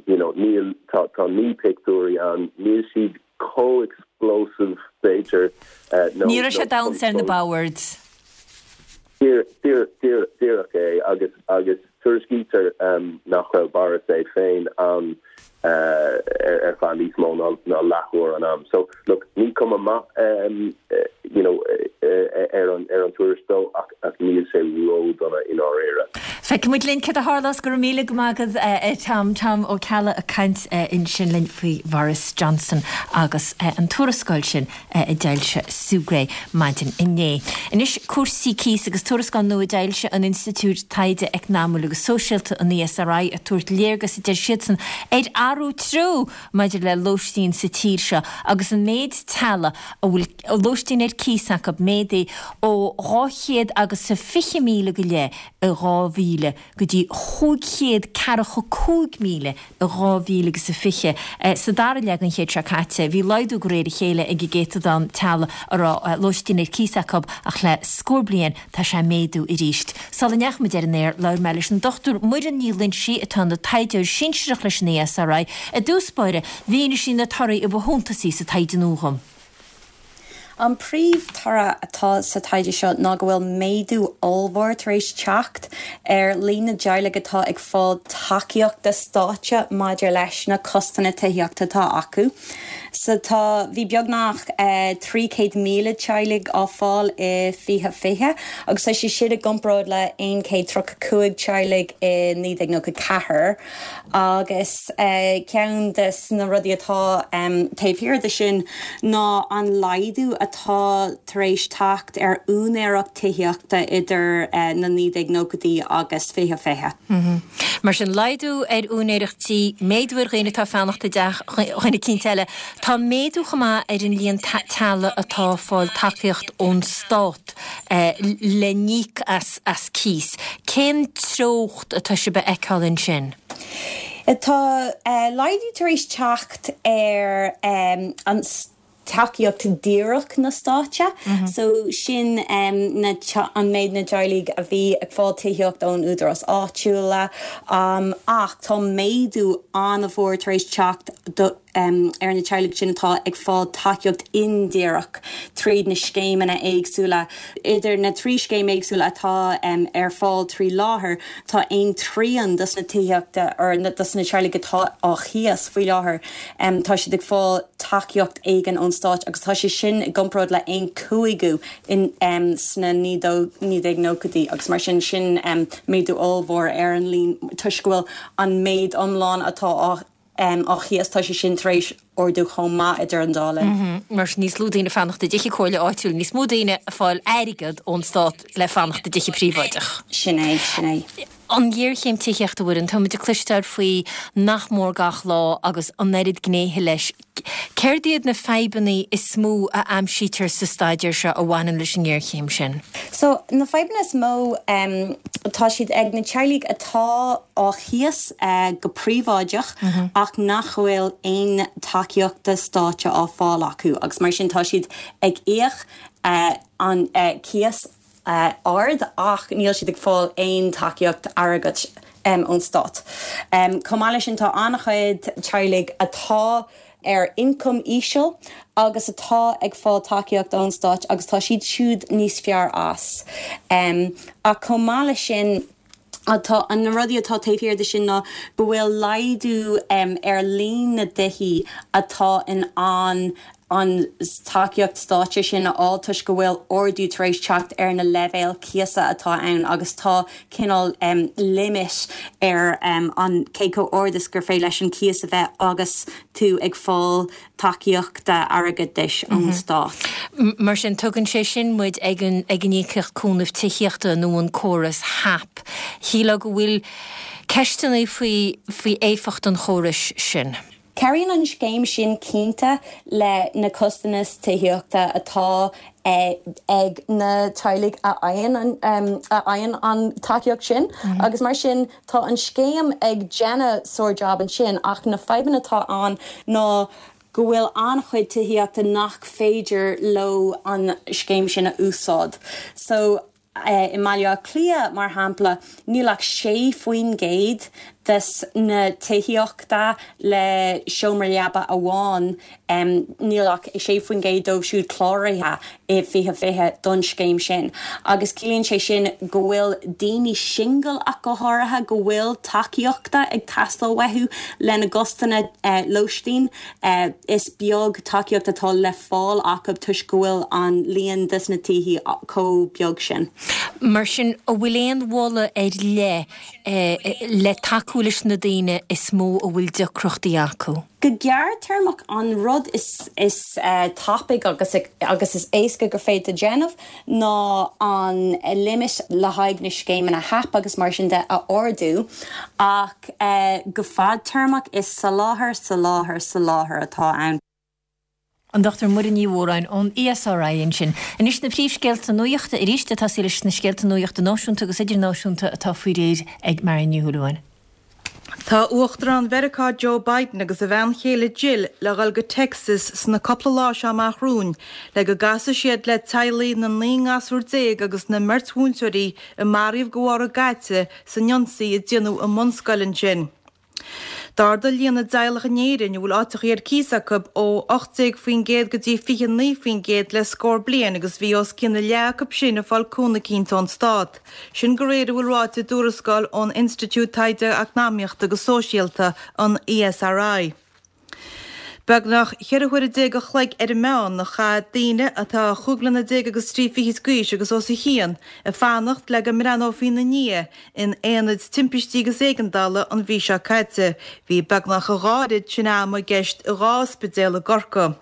You know, níl, tá, tá na pictiúirí ann, níl siad chomh explosive, b'fhéidir, nó. Ní raibh sé ag damhsa ar na boird. Díreach é, agus, agus tuairiscítear nach raibh Boris é féin ann ar feadh níos mó ná leathuair an am. So, look, ní cuma maith you know ar an ar an tuairisc dó ach ach níl sé ró-dona i ndáiríre. Feicfidh muid linn céard a tharlós. Go raibh míle go maith agat a Tom. Tom Ó Ceallaigh ag caint ansin linn faoi Bhoris Johnson agus an tuarascáil sin a d'fhoilsigh Sue Gray maidin inné. Anois cúrsaí cíos agus tuarascáil nua a d'fhoilsigh an Institiúid Taighde Eacnamúil agus Sóisialta, an ESRI, ag tabhairt léargas a deir siadsan ar athrú treo maidir le lóistín sa tír seo agus an méid teaghlaigh a bhfuil lóistín ar cíos acu méadaithe ó 200 agus a 20,000 go leith i 2000 go dtí 545,000 i 2020. Sa dara leath den chéad seo caite bhí laghdú de réir a chéile ag an gcéatadán teaghlaigh a raibh lóistín ar cíos acu ach le scór bliain tá sé ag méadú arís. Sula ndeachaigh muid ar an aer labhair mé leis an Dr Muireann Ní Loingsigh atá ina taighdeoir sinsearach leis an ESRI. I dtús báire, mhínigh sí na torthaí a ba shuntasaí sa taighde nua dhom. An príomh-toradh atá sa taighde seo ná go bhfuil méadú ollmhór tar éis teacht ar líon na dteaghlaigh atá ag fáil tacaíochta stáit maidir leis na costanna tithíochta atá acu. So tá, bhí beagnach 300,000 teaghlaigh á fáil i 2020 agus tá sé sin i gcomparáid le 135 teaghlaigh i 1994. Agus ceann de na rudaí atá taobh thiar de sin ná an laghdú atá tar éis teacht ar úinéireacht tithíochta idir na 1990idí agus 2020. Mar sin, laghdú ar úinéireacht tí, méadú ar dhaoine atá ag fanacht i dteach dhuine eicínt eile. Tá méadú chomh maith ar an líon teaghlaigh atá ag fáil tacaíocht ón stát le n-íoc as cíos. Cén treocht atá sibh a fheiceáil ansin? Tá laghdú tar éis teacht ar an. tacaíocht díreach na stáite. So sin na an méid na dteaghlaigh a bhí ag fáil tithíocht ón údarás áitiúla. Ach tá méadú an-mhór tar éis teacht do ar na teaghlaigh sin atá ag fáil tacaíocht indíreach tríd na scéimeanna éagsúla. Idir na 3 scéim éagsúla atá ar fáil trí láthair, tá aon trian dos na tithíochta or dos na teaghlaigh atá á chíos faoi láthair, tá siad ag fáil tacaíocht éigin ón stáit agus tá sé sin i gcomparáid le aon cúigiú in sna 1990idí agus mar sin, sin méadú ollmhór ar an líon toisc go bhfuil an méid iomlán atá á á chíos, tá sé sin tar éis ardú chomh maith idir an dá linn. Mar sin níos lú daoine ag fanacht i dtithe comhairle áitiúil, níos mó daoine ag fáil airgead ón stát le fanacht i dtithe príobháideach. Sin é, sin é. An ghéarchéim tithíochta, a Mhuireann, táimid ag cloisteáil faoi nach mór gach lá agus an oiread gnéithe leis. Céard iad na fadhbanna is mó a aimsítear sa staidéar seo a bhaineann leis an ngéarchéim sin? So, na fadhbanna is mó, tá siad ag na teaghlaigh atá á chíos go príobháideach ach nach bhfuil aon tacaíochta stáite á fáil acu agus mar sin tá siad ag íoc an cíos ard ach níl siad ag fáil aon tacaíocht airgeadais ón stát. Chomh maith leis sin tá an-chuid teaghlaigh atá ar ioncam íseal agus atá ag fáil tacaíocht ón stáit agus tá siad siúd níos fearr as. Ach chomh maith leis sin, tá na rudaí atá taobh thiar de sin ná go bhfuil laghdú ar líon na dtithí atá in ann an tacaíocht stáite sin a fháil toisc go bhfuil ardú tar éis teacht ar na leibhéil cíosa atá ann agus tá cineál limit ar an cé chomh ard is gur féidir leis an cíos a bheith agus tú ag fáil tacaíochta airgeadais ón stát. Mar sin, tugann sé sin muid ag an ag an íocaíocht cúnaimh tithíochta nó an córas HAP. Shílfeá go bhfuil ceisteanna faoi faoi éifeacht an chórais sin. Cabhraíonn an scéim sin cinnte le na costais tithíochta atá ag na teaghlaigh a fhaigheann a fhaigheann an tacaíocht sin agus mar sin tá an scéim ag déanamh sár jab ansin ach na fadhbanna atá ann ná go bhfuil an-chuid tithíochta nach féidir leo an scéim sin a úsáid. So. I mBaile Átha Cliath, mar shampla, níl ach 6% des na tithíochta le seomra leaba amháin, níl ach 6% dóibh siúd cláraithe i 2020 don scéim sin. Agus ciallaíonn sé sin go bhfuil daoine singil ach go háirithe, go bhfuil tacaíochta ag teastáil uathu lena gcostanna lóistín. Is beag tacaíocht atá le fáil acu toisc go bhfuil an líon des na tithí chomh beag sin. Mar sin, an bhfuil aon mholadh ar leith le tacú leis na daoine is mó a bhfuil deacrachtaí acu? Go gearrtéarmach, an rud is tapaidh agus agus is éasca gur féidir déanamh ná an limit le haghaidh na scéimeanna HAP agus mar sin de a ardú ach go fadtéarmach is soláthar, soláthar, soláthar atá ann. An Dr Muireann Ní Mhóráin ón ESRI ansin. Anois na príomhscéalta nuachta arís, ag tosaí leis na scéalta nuachta náisiúnta agus idirnáisiúnta atá faoi réir ag Marion Ní Shúilleabháin. Tá Uachtarán Mheiriceá Joe Biden agus a bhean chéile Jill le dhul go Texas sna cúpla lá seo amach romhainn le go gcasfaidh siad le teaghlaigh na 19 ngasúr agus na mbeirt mhúinteoirí a maraíodh de bharr a gcaite san ionsaí a déanadh i mbunscoil ansin. D'ardaigh líon na dteaghlach in Éirinn a bhfuil áiteachaí ar cíos acu ó 18% go dtí 29% le scór bliain agus bhí os cionn a leath acu sin ag fáil cúnamh eicínt ón stát. Sin de réir a bhfuil ráite i dtuarascáil ón Institiúid Taighde Eacnamaíochta agus Sóisialta, an ESRI. Beagnach cheithre huaire déag a chloig ar an meán a chaith daoine atá chúig bliana déag agus trí fichid d'aois agus os a chionn ag fanacht le go mbreathnófaí ina ndiaidh in aonaid timpistí agus éigeandála an mhí seo caite. Bhí beagnach a dhá oiread sin ama i gceist i dhá ospidéal i gCorcaigh.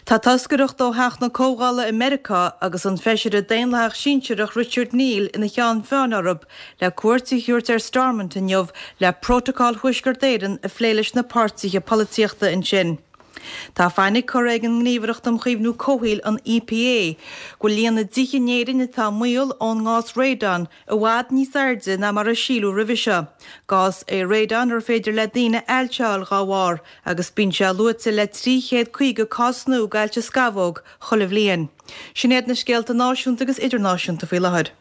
Tá toscaireacht ó Theach na Comhdhála i Meiriceá agus an feisire Daonlathach sinsearach Richard Neal ina cheann feadhain orthu le cuairt a thabhairt ar Stormont inniu le Prótacal Thuaisceart Éireann a phlé leis na páirtithe polaitíochta ansin. Tá fainic curtha ag an nGníomhaireacht um Chaomhnú Comhshaoil, an EPA, go bhfuil líon na dtithe in Éirinn atá i mbaol ón ngás radon i bhfad níos airde ná mar a síleadh roimhe seo. Gás é radon ar féidir le daoine ailse a fháil dhá bharr agus bíonn sé luaite le 350 cás nua d'ailse scamhóg chuile bhliain. Sin iad na scéalta náisiúnta agus idirnáisiúnta faoi láthair.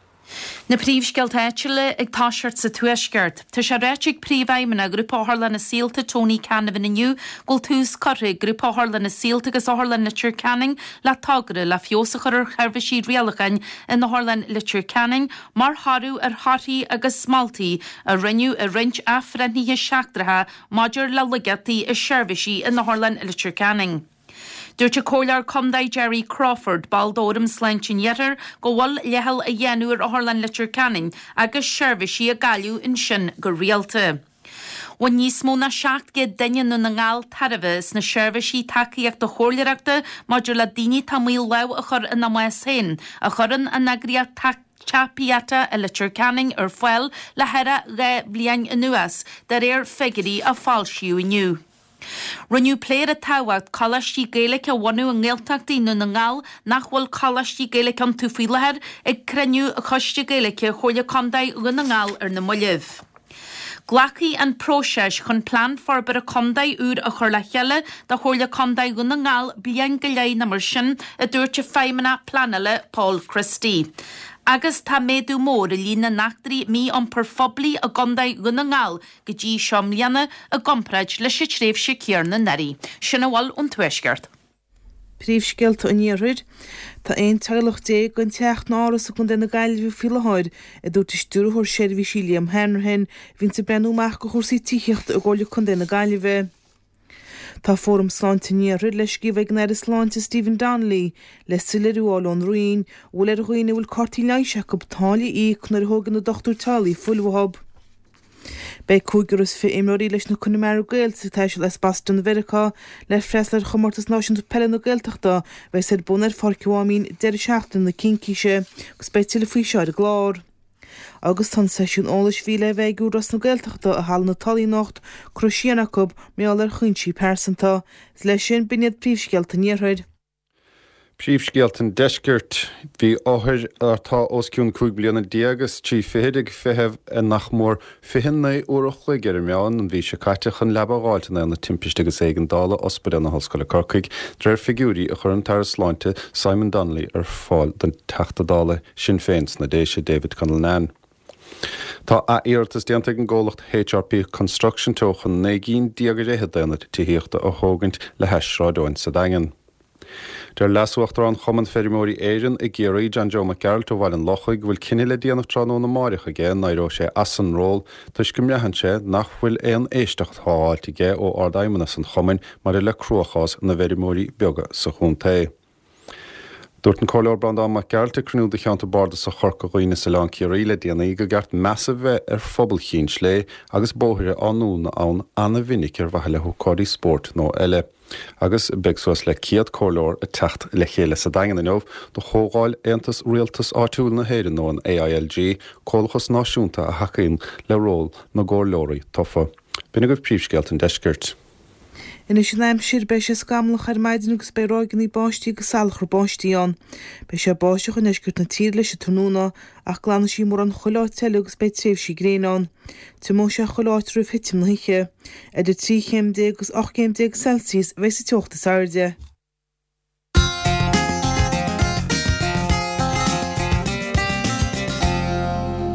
Na príomhscéalta áitiúla ag toiseacht sa Tuaisceart. Tá sé ráite ag Príomhfheidhmeannach Ghrúpa Otharlanna Saolta Tony Canavan inniu go bhfuil tús curtha ag Grúpa Otharlanna Saolta agus Otharlann Leitir Ceanainn le togra le feabhas a chur ar sheirbhísí rialacháin in Otharlann Leitir Ceanainn mar thoradh ar thorthaí agus moltaí a rinneadh i roinnt athbhreithnithe seachtracha maidir le laigeachtaí i seirbhísí in Otharlann Leitir Ceanainn. Dúirt an Comhairleoir Contae Gerry Crawford, ball d'Fhóram Sláinte an Iarthair, go bhfuil leithcheal á dhéanamh ar Otharlann Leitir Ceanainn agus seirbhísí á gcailleadh ansin go rialta. Bhain níos mó ná 700 duine i nDún na nGall tairbhe as na seirbhísí tacaíochta chomhairleoireachta maidir le daoine atá i mbaol lámh a chur ina mbás féin, a chuireann an eagraíocht Teach Pieta i Leitir Ceanainn ar fáil le thar 2 bhliain anuas, de réir figiúirí a foilsíodh inniu. Rinneadh plé ar an tábhacht coláistí Gaeilge a bhunú i nGaeltachtaí i nDún na nGall nach bhfuil coláistí Gaeilge iontu faoi láthair ag cruinniú Choiste Gaeilge Chomhairle Contae Dhún na nGall ar na mallaibh. Glacfaidh an próiseas chun Plean Forbartha Contae úr a chur le chéile do Chomhairle Contae Dhún na nGall bliain go leith nó mar sin, a dúirt an Feidhmeannach Pleanála Paul Christie. Agus tá méadú mór i líon na n-eachtraí mí-iompair phoiblí i gContae Dhún na nGall go dtí seo i mbliana i gcomparáid leis an tréimhse céanna anuraidh. Sin a bhfuil ón Tuaisceart. Príomhscéalta an Iarthair. Tá 11 teaghlach gan teach ná áras i gContae na Gaillimhe faoi láthair, a dúirt an Stiúrthóir Seirbhísí Liam Hanrahan, a bhíonns ag breathnú amach do chúrsaí tithíochta i gComhairle Contae na Gaillimhe. Tá Fóram Sláinte an Iarthair le scríobh ag an Aire Sláinte Stephen Donnelly le soiléiriú a fháil ón Roinn an bhfuil ar dhaoine a bhfuil cártaí leighis acu táille a íoc nuair a thógann a dochtúir teaghlaigh fuil uathu. Beidh 25 imreoirí leis na Connemara Gaels ag taisteal as Boston i Mheiriceá le freastal ar Chomórtas Náisiúnta Peile na Gaeltachta a bheas ar bun ar Pháirc an Mháimín deireadh seachtaine na Cincíse agus beidh tuilleadh faoi seo ar an gclár. Agus tá an seisiún eolais a bhí le bheith ag Údarás na Gaeltachta i Halla na Tulaí anocht curtha siar acu mar gheall ar chúinsí pearsanta. Is leis sin, b'in iad príomhscéalta an Iarthair. Príomhscéalta an Deiscirt. Bhí othair atá os cionn 15 bliana is 23 fichid ag feitheamh nach mór 29 uair a chloig ar an meán an mhí seo caite chun leaba a dh'fháilt in Aonad Timpiste agus Éigeandála Ospidéal na hOllscoile Corcaigh, de réir figiúirí a chuir an tAire Sláinte Simon Donnelly ar fáil don Teachta Dála Sinn Féin sna Déise, David Cullinane. Tá ath-iarratas déanta ag an gcomhlacht HRP Construction Teo chun 19 gcinn ar fhichead d'aonaid tithíochta a thógaint le hais Sráid Eoin sa Daingean. Deir Leas-Uachtarán Chumann Feirmeoirí Éireann i gCiarraí, John Joe Mac Gearailt ó Bhaile an Lochaigh, go bhfuil cinneadh le déanamh tráthnóna amáireach aige an n-éireoidh sé as an ról toisc go mbraitheann sé nach bhfuil aon éisteacht á fháilt aige ó Ard-Fheidhmeannas an chumainn maidir le cruachás na bhfeirmeoirí beaga sa chontae. Dúirt an Comhairleoir Breandán Mac Gearailt ag cruinniú de Cheantar Bardasach Chorca Dhuibhne is Oileán Ciarraí le déanaí go gceart meas a bheith ar phobal Chinn Slé agus bóithre á ndúnadh ann ana-mhinic ar mhaithe le hócáidí spóirt nó eile. Agus beidh suas le 100 comhairleoir ag teacht le chéile sa Daingean inniu do chomhdháil Aontas Rialtas Áitiúil na hÉireann nó an AILG, comhlachas náisiúnta a thacaíonn le ról na gcomhairleoirí tofa. B'in agaibh príomhscéalta an deiscirt. Anois an aimsir, beidh sé scamallach ar maidin agus beidh ráigeanna báistí agus salachar báistí ann. Beidh sé ag báisteach i ndeisceart na tíre leis an tráthnóna ach glanfaidh sí mórán chuile áit eile agus beidh tréimhsí gréine ann. Tiomóidh sé chuile áit roimh thitim na hoíche. Idir 13 chéim agus 18 chéim Celsius a bheidh sa teocht is airde.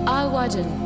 Adhmhaidin.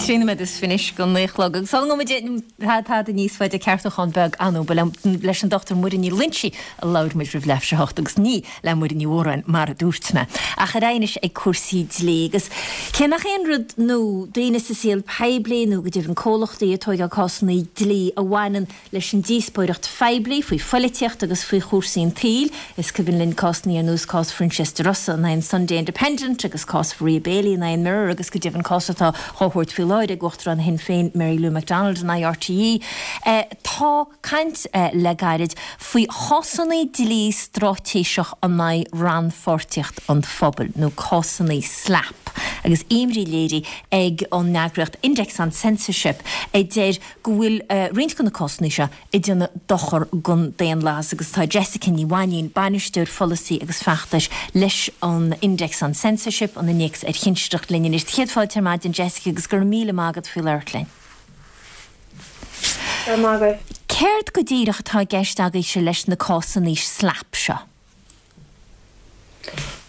13 nóiméad anois go 9 a chlog. Agus sula ngabhfaidh muid tada níos faide ceartúchán beag ann ba leis an Dr Muireann Ní Loingsigh a labhair muid roimh leathuair tar éis a hocht agus ní le Muireann Ní Mhóráin mar a dúirt mé. Ach ar aghaidh anois ag cúrsaí dlí agus cé nach aon rud nua daoine sa saol poiblí nó go deimhin comhlachtaí ag tóigeáil cásanna dlí a bhaineann leis an díospóireacht phoiblí faoi phoilitíocht agus faoi chúrsaí an tsaoil. Is cuimhin linn cásanna ar nós cás Phroinsias De Rossa in aghaidh an Sunday Independent agus cás Mharia Bailey in aghaidh an Mirror agus go deimhin cás atá á thabhairt faoi láthair ag Uachtarán Shinn Féin Mary Lou McDonald in aghaidh RTÉ. Tá caint le gairid faoi chásanna dlí straitéiseach in aghaidh rannpháirtíocht an phobail, nó cásanna SLAPP. agus imní léirithe ag an eagraíocht Index on Censorship a deir go bhfuil roinnt de na cásanna seo ag déanamh dochar don daonlathas agus tá Jessica Ní Mhainín, Bainisteoir Pholasaí agus Feachtais leis an Index on Censorship, an Innéacs ar Chinsireacht, linn anois. Céad fáilte ar maidin Jessica agus go raibh míle maith agat faoi labhairt linn. Go raibh maith agaibh. Céard go díreach atá i gceist agaibhse leis na cásanna SLAPP seo?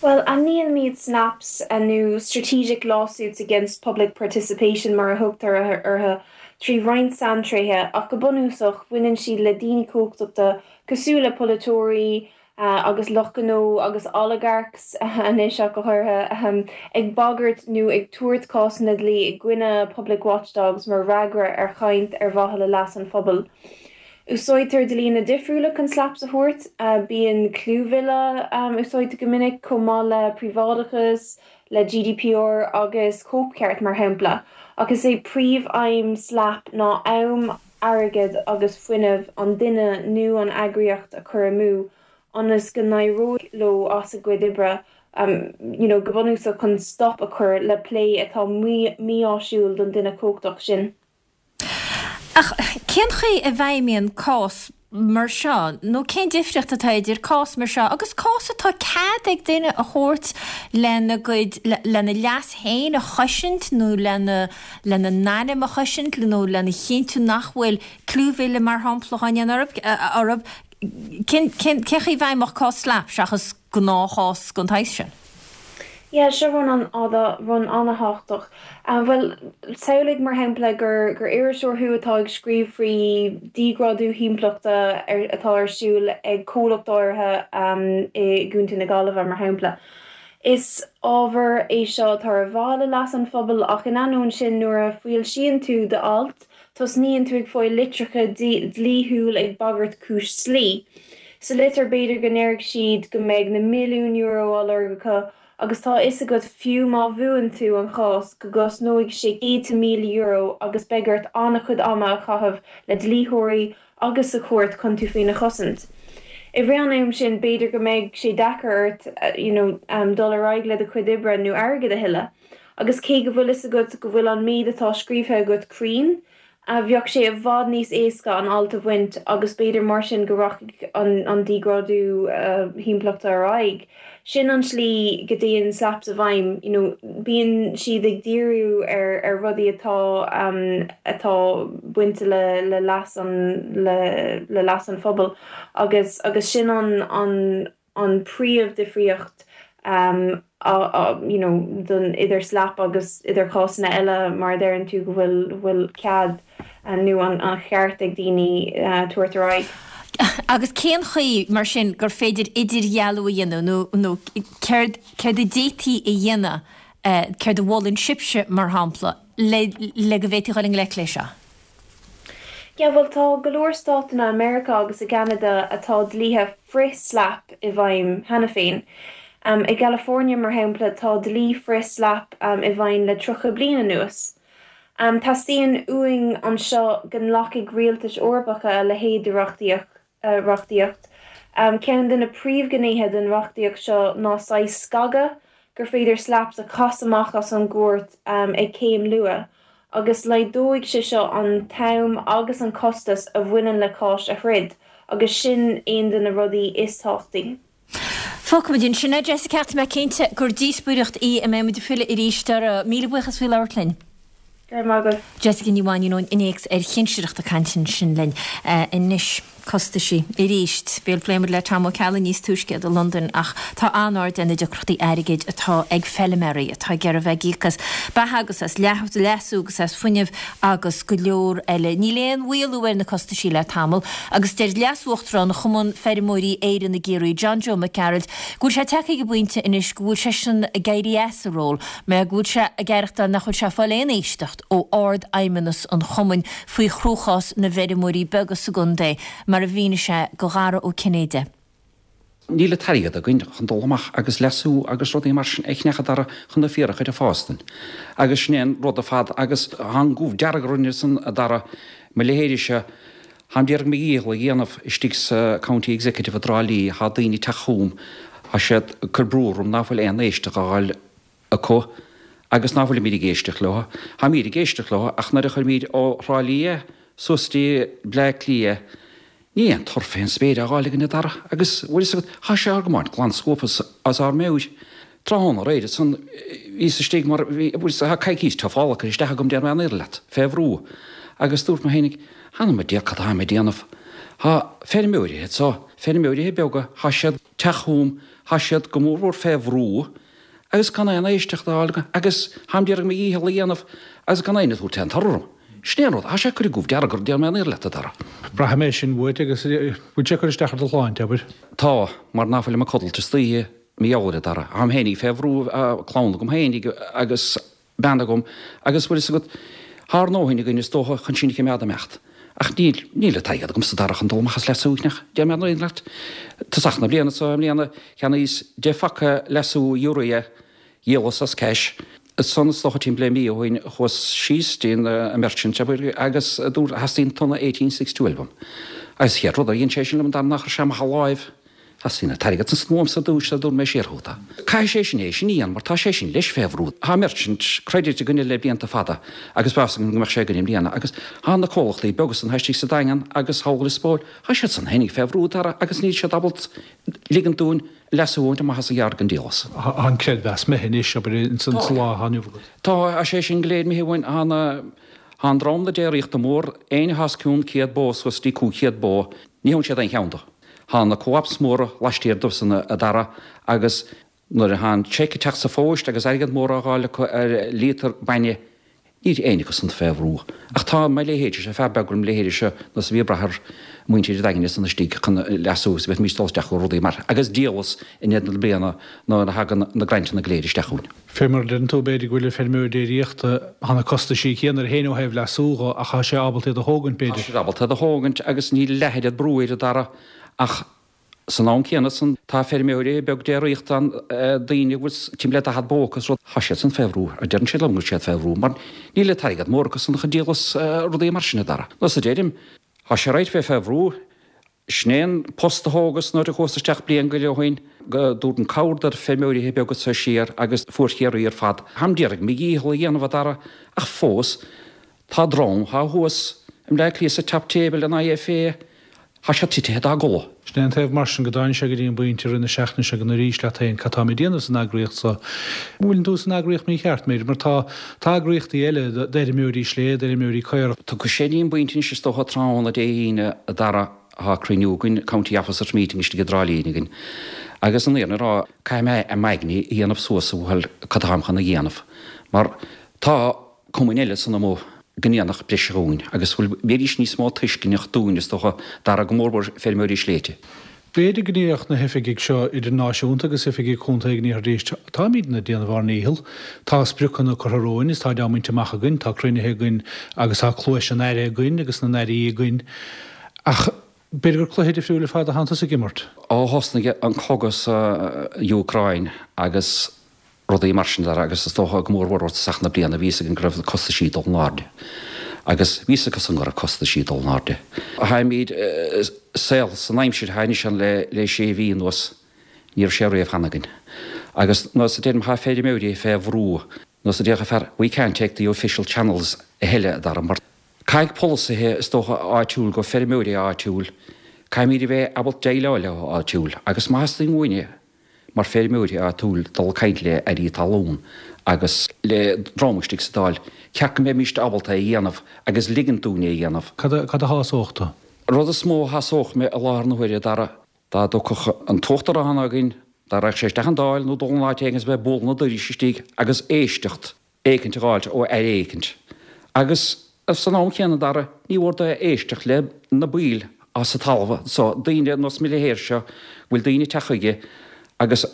Bhuel, ainmnímid SLAPPs, nó Strategic Lawsuits Against Public Participation mar a thugtar orthu, trí roinnt saintréithe, ach go bunúsach, baineann siad le daoine cumhachtachta cosúil le polaiteoirí agus lucht gnó agus oligarchs anois ach go háirithe, ag bagairt nó ag tabhairt cásanna dlí i gcoinne public watchdogs mar fhreagra ar chaint ar mhaithe le leas an phobail. Úsáidtear dlíonna difriúla chun SLAPPs a thabhairt. Bíonn clúmhilleadh úsáidte go minic, chomh maith le príobháideachas, le GDPR agus cóipcheart, mar shampla. Ach is é príomh-aidhm SLAPP ná am, airgead agus fuinneamh an duine nó an eagraíocht a chur amú ionas go n-éireoidh leo as a gcuid oibre, you know, go bunúsach chun stop a chur le plé atá mí-áisiúil don duine cumhachtach sin. Ach cén chaoi a bhfeidhmíonn cás mar seo, nó cén difríocht atá idir cás mar seo agus cás atá cead ag duine a thabhairt lena gcuid, lena leas féin a chosaint nó lena, lena n-ainm a chosaint nó lena chinntiú nach bhfuil clúmhilleadh mar shampla á ndéanamh orthu? Cén, cén, cén chaoi a bhfeidhmeodh cás SLAPP seachas gnáthchás den tsaghas sin? Yeah, seo rud an, rud an-thábhachtach. Bhuel, samhlaigh mar shampla gur gur iriseoir thú atá ag scríobh faoi díghrádú thimpeallachta atá ar siúl ag comhlacht áirithe i gContae na Gaillimhe, mar shampla. Is ábhar é seo atá ar mhaithe le leas an phobail ach in ainneoin sin nuair a foilsíonn tú d'alt, Tosnaíonn tú ag fáil litreacha dlíthiúil ag bagairt cúis dlí. Sa litir b'fhéidir go ndéarfaidh siad go mbeidh na milliúin euro á lorg acu agus tá a fhios agat fiú má bhuann tú an chás go gcosnóidh sé céadta míle euro agus beidh ort an-chuid ama a chaitheamh le dlítheoirí agus sa chúirt chun tú féin a chosaint. I rith an am sin b'fhéidir go mbeidh sé deacair ort you know dul ar aghaidh le do chuid oibre nó airgead a thuilleadh. Agus cé go bhfuil fhios agat go bhfuil an méid atá scríobhtha agat cruinn, bheadh sé i bhfad níos éasca an alt a bhaint agus b'fhéidir mar sin go rachaidh an díghrádú thimpeallachta ar aghaidh. Sin an tslí go dtéann SLAPPs i bhfeidhm, you know, bíonn siad ag díriú ar ar rudaí atá atá bainte le le leas an le le leas an phobail agus agus sin an an an príomh-difríocht you know don idir SLAPP agus idir cásanna eile mar a deireann tú go bhfuil bhfuil cead nó an an cheart ag daoine tabhairt ar aghaidh. Agus cén chaoi mar sin gur féidir idirdhealú a dhéanamh nó nó céard céard a d'fhéadfaí a dhéanamh céard a mholann sibhse mar shampla le le go bhféadfaí dhul i ngleic leis seo? Yeah, bhuel tá go leor státanna i Meiriceá agus i gCeanada atá dlíthe frith-SLAPP i bhfeidhm cheana féin. I gCalifornia, mar shampla, tá dlí frith-SLAPP i bhfeidhm le 30 bliain anuas. Teastaíonn uainn anseo go nglacfaidh rialtais Eorpacha a leithéid de reachtaíocht. reachtaíocht. Ceann de na príomhghnéithe den reachtaíocht seo ná saghas scagadh gur féidir SLAPPs a chasadh amach as an gcúirt ag céim luath, agus laghdóidh sé seo an t-am agus an costas a bhaineann le cáis a throid, agus sin aon de na rudaí is tábhachtaí. Fágfaimid ansin é, Jessica, ach tá mé cinnte gur díospóireacht í a mbeidh muid ag filleadh arís uirthi. Míle buíochas faoi labhairt linn. Go raibh maith agat. Jessica Ní Mhainín ón Innéacs ar Chinsireacht ag caint ansin linn. Anois, costaisí. Arís. Bhuel, phléigh muid le Tom Ó Ceallaigh níos túisce i Londain ach tá an-aird ar na deacrachtaí airgid atá ag feilméaraí atá ag iarraidh bheith ag íoc as beatha agus as leasú agus as fuinneamh agus go leor eile. Níl aon mhaolú ar na costaisí le tamall agus deir Leas-Uachtarán Chumann Feirmeoirí Éireann i gCiarraí, John Joe Mac Gearailt, go bhfuil sé tagtha ag an bpointe anois go bhfuil seisean ag éirí as a ról mar go bhfuil sé ag aireachtáil nach bhfuil sé ag fáil aon éisteacht ó Ard-Fheidhmeannas an chumainn faoi chruachás na bhfeirmeoirí beaga sa gcontae, mar a mhínigh sé do Dhara Ó Cinnéide. Níl an t-airgead againn chun dul amach agus leasú agus rudaí mar sin a cheannach a Dhara chun na féar a chur ag fás dúinn. Agus sin é an rud ar fad agus tá an goimh dearg orainn ansan a Dhara, mo leithéidese, táim d'iarraidh mo dhícheall a dhéanamh istigh sa County Executive i dTrá Lí, tá daoine ag teacht chugam, tá siad ag cur brú orm ná fuil aon éisteacht á fháil acu. Agus ná fuilimíd ag éisteacht leo. Táimíd ag éisteacht leo ach nuair a chuirimíd ó Thrá Lí é suas dtí Bleá Cliath ní aon tor fén spéir á dh'fháil againn a Dara agus bhfuil fhios agat thá sé ár gcomáint glan scuabtha as ár meabhair. Tráthnóna aréir ansan bhíos istigh mar bhí bhfuil fhios thá coicís tufála curtha isteach agam déarfaidh mé an fhírinne leat, fé bhrú agus dúirt mé fhéinig th'anam 'on diabhal cad táim ag déanamh. Thá feirmeoirithe anso, feirmeoirithe beaga, thá siad teacht chugam, thá siad go mór mhór fé bhrú agus gan aon éisteacht a fháil agam agus tháim d'iarraidh mo dhícheall a dhéanamh agus gan éinne ag tabhairt aon toradh orm. Sin é an rud, thá sé ag cur an gomh dearg orm, déarfaidh mé an fhírinne leat, a Dara. Braithim é sin uait agus bhfuil sé ag cur isteach ar do shláinte, abair? Tá, mar ná fuilim ag codlait istoíche, mar gheall air, a Dara. Tháim fhéinig fé bhrú, clann agam fhéinig agus bean agam agus bhfuil fhios agat, thá ár ndóthain againn is dócha chun sinn a chimeád ag imeacht. Ach níl, níl an t-airgead agamsa a Dara chun dul amach is leasú éicneach, déarfaidh mé an fhírinne leat. Tosach na bliana so i mbliana cheannaíos 10 phaca leasú urea, dhíolas as cash. Ansan is dócha timpeall le mí ó shin chuas síos dtí an merchant abair agus dúirt theastaíonn tonna 18612 uaim. Agus chéad rud a dhein sé sin liom a Dara ná chuir sé amach a láimh Theastaíonn an t-airgead san uaimse ar dtúis sar a dtabharfaidh mé siar chugat é. Caithfidh sé sin é sin a dhéanamh mar tá sé sin leis fé bhrú. Tá merchant credit againne le blianta fada agus bheadh fhios againn go mbeadh sé againn i mbliana agus tá na comhlachtaí beaga san atá istigh sa Daingean agus thall i Lios Póil, tá siad san fhéinig fé bhrú Dara agus níl siad ábalta ligint dúinn leasú a bhaint amach as an gceárd gan díolas. Tá an creidmheas imithe anois, abair, ins an lá atá inniu agat. Tá, tá sé sin go léir imithe uainn. Tá na, tá an dream na déiríochta mór, éinne atá os cionn 100 bó suas dtí 500 bó, ní thugann siad aon cheann do. Thá na co-ops móra laistiar dóibh san a Dara agus nuair a thá an cheque ag teacht sa phóist agus airgead mór á dh'fháil acu ar líotar bainne níl éinne acu san fé bhrú. Ach tá mo leithéidse, fear beag mo leithéide seo nós a bhí ag brath ar muintir an Daingin san istigh chun leasú agus bheadh dul isteach go rudaí mar agus díolas in éadan na bliana nuair a thagann na grantanna go léir isteach chugainn. Fé mar a deireann tú, b'fhéidir go bhfuil an feirmeoir déiríochta, thá na costaisí céanna air féin ó thaobh leasú dho, ach thá sé ábalta iad a thógaint, b'fhéidir. Tá sé ábalta iad a thógaint agus níl leath oiread brú air, a Dara, ach san am céanna san, tá feirmeoirí beag déiríochta ann, daoine a bhfuil timpeall le 40 bó acu is rud, thá siad san fé bhrú, deireann siad liom go bhfuil siad fé bhrú, mar níl an t-airgead mór acu san chun díolas rudaí mar sin, a Dara. Nós a deirim, thá sé right bheith fé bhrú, Sin é an post a thógas nuair a chuas isteach bliain go leith ó shin, go dtabharfainn cabhair do feirmeoirithe beaga so siar agus fuar Chiarraí ar fad. Táim d'iarraidh mo dhícheall a dhéanamh a Dara, ach fós tá dream thá thuas i mBleá Cliath sa top table an IFA, thá siad titithe dá gcodladh. Sin é an taobh mar sin go dtáinig sé go dtí an bpointe i rith na seachtaine seo go n-arís leat féin cad táim ag déanamh san eagraíocht so. Bhfuileann tú san eagraíocht mícheart, m'fhéidir, mar tá tá eagraíochtaí eile d'fheirmeoirí slé, d'fheirmeoirí caorach. Tiocfaidh sé dtí an bpointe anois is dócha tráthnóna Dé hAoine a Dara thá cruinniú againn, County Officers Meeting istigh i dTrá Lí againn agus an fhírinne a rá caithfidh mé i m'aigne a dhéanamh suas a bhuachaill cad táim chun a dhéanamh mar tá cumainn eile san amuigh go ndéanfadh breise dhúinn agus bhfuil bheidís níos mó tuisceanach dúinn is dócha Dara go mór mhór feirmeoirí sléibhte. B'fhéidir go ndéarfadh na hoifigigh seo, idir náisiúnta agus oifigigh chontae go ndéarfaidís, Táimidne ag déanamh ár ndícheall. Tá spriocanna curtha romhainn is táid á mbaint amach againn, tá cruinnithe againn agus tá cluais an Aire againn agus na n-airí againn. Ach b'fhéidir gur cluiche difriúil ar fad atánn tusa ag imirt. Ó thosnaigh an cogadh sa Úcráin agus rudaí mar sin agus is dócha go mór mhór ó thosach na bliana bhí fhios againn go raibh costaisí ag dul in airde agus bhí fhios acu san go raibh costaisí ag dul in airde. Táimid saol san aimsir atá anois ann le le sé mhí anuas ní raibh sé riamh cheana againn agus nós a deirim thá feirmeoirí fé bhrú nós a déarfadh fear we can't take the official channels a thuilleadh a Dara mar caithfidh polasaithe is dócha áitiúil go feirmeoirí áitiúil caithfimid a bheith ábalta déileáil leo áitiúil agus má theastaíonn uainne mar feirmeoirí áitiúil dul ag caint le airí talún agus le dream istigh sa Dáil, ceart go mbeimíst ábalta é a dhéanamh agus ligint dúinn é a dhéanamh. Cad a shásódh tú? Rud is mó a shásódh mé i láthair na huaire, a Dara, dá dtiocfadh an tUachtarán againn, dá raghadh sé isteach an Dáil nó dul in áit éigin is a bheith ag bualadh na doiris istigh agus éisteacht éicint a dh'fháilt ó aire éicint. Agus san am chéanna, Dara, ní mhór dó éisteacht le na baill as an talamh so, daoine nós mo leithéid seo, bhfuil daoine ag teacht chuige agus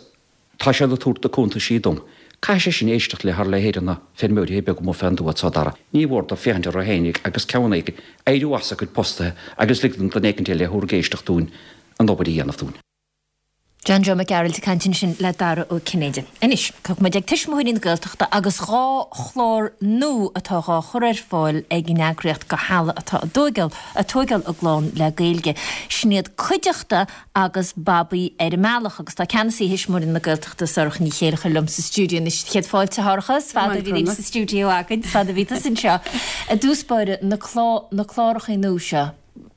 tá siad ag tabhairt na cuntaisí dom. Caithfidh sé sin éisteacht le ár leithéid de na feirmeoirí beaga amuigh fén dtuath so, Dara. Ní mhór dó féachaint orthu fhéinig agus ceann éicint, éiriú as a gcuid postaithe agus ligint don éicint eile a thabharfaidh éisteacht dúinn an obair a dhéanamh dúinn. John Joe Mac Gearailt ag caint ansin le Dara Ó Cinnéide. Anois, tiocfaidh muid ag Tuismitheoirí na Gaeltachta agus 2 chlár nua atá dhá chur ar fáil ag an eagraíocht do theaghlaigh atá ag tóigeáil ag tóigeáil a gclann le Gaeilge. Sin iad Cuideachta agus Babaí ar an mBealach agus tá Ceannasaí Thuismitheoirí na Gaeltachta Sorcha Ní Chéilleachair liom sa stiúideo anois. Céad fáilte a Shorcha, is fada a bhí muid sa stiúideo againn, is fada a bhí tusa anseo. I dtús báire, na na clárachaí nua seo,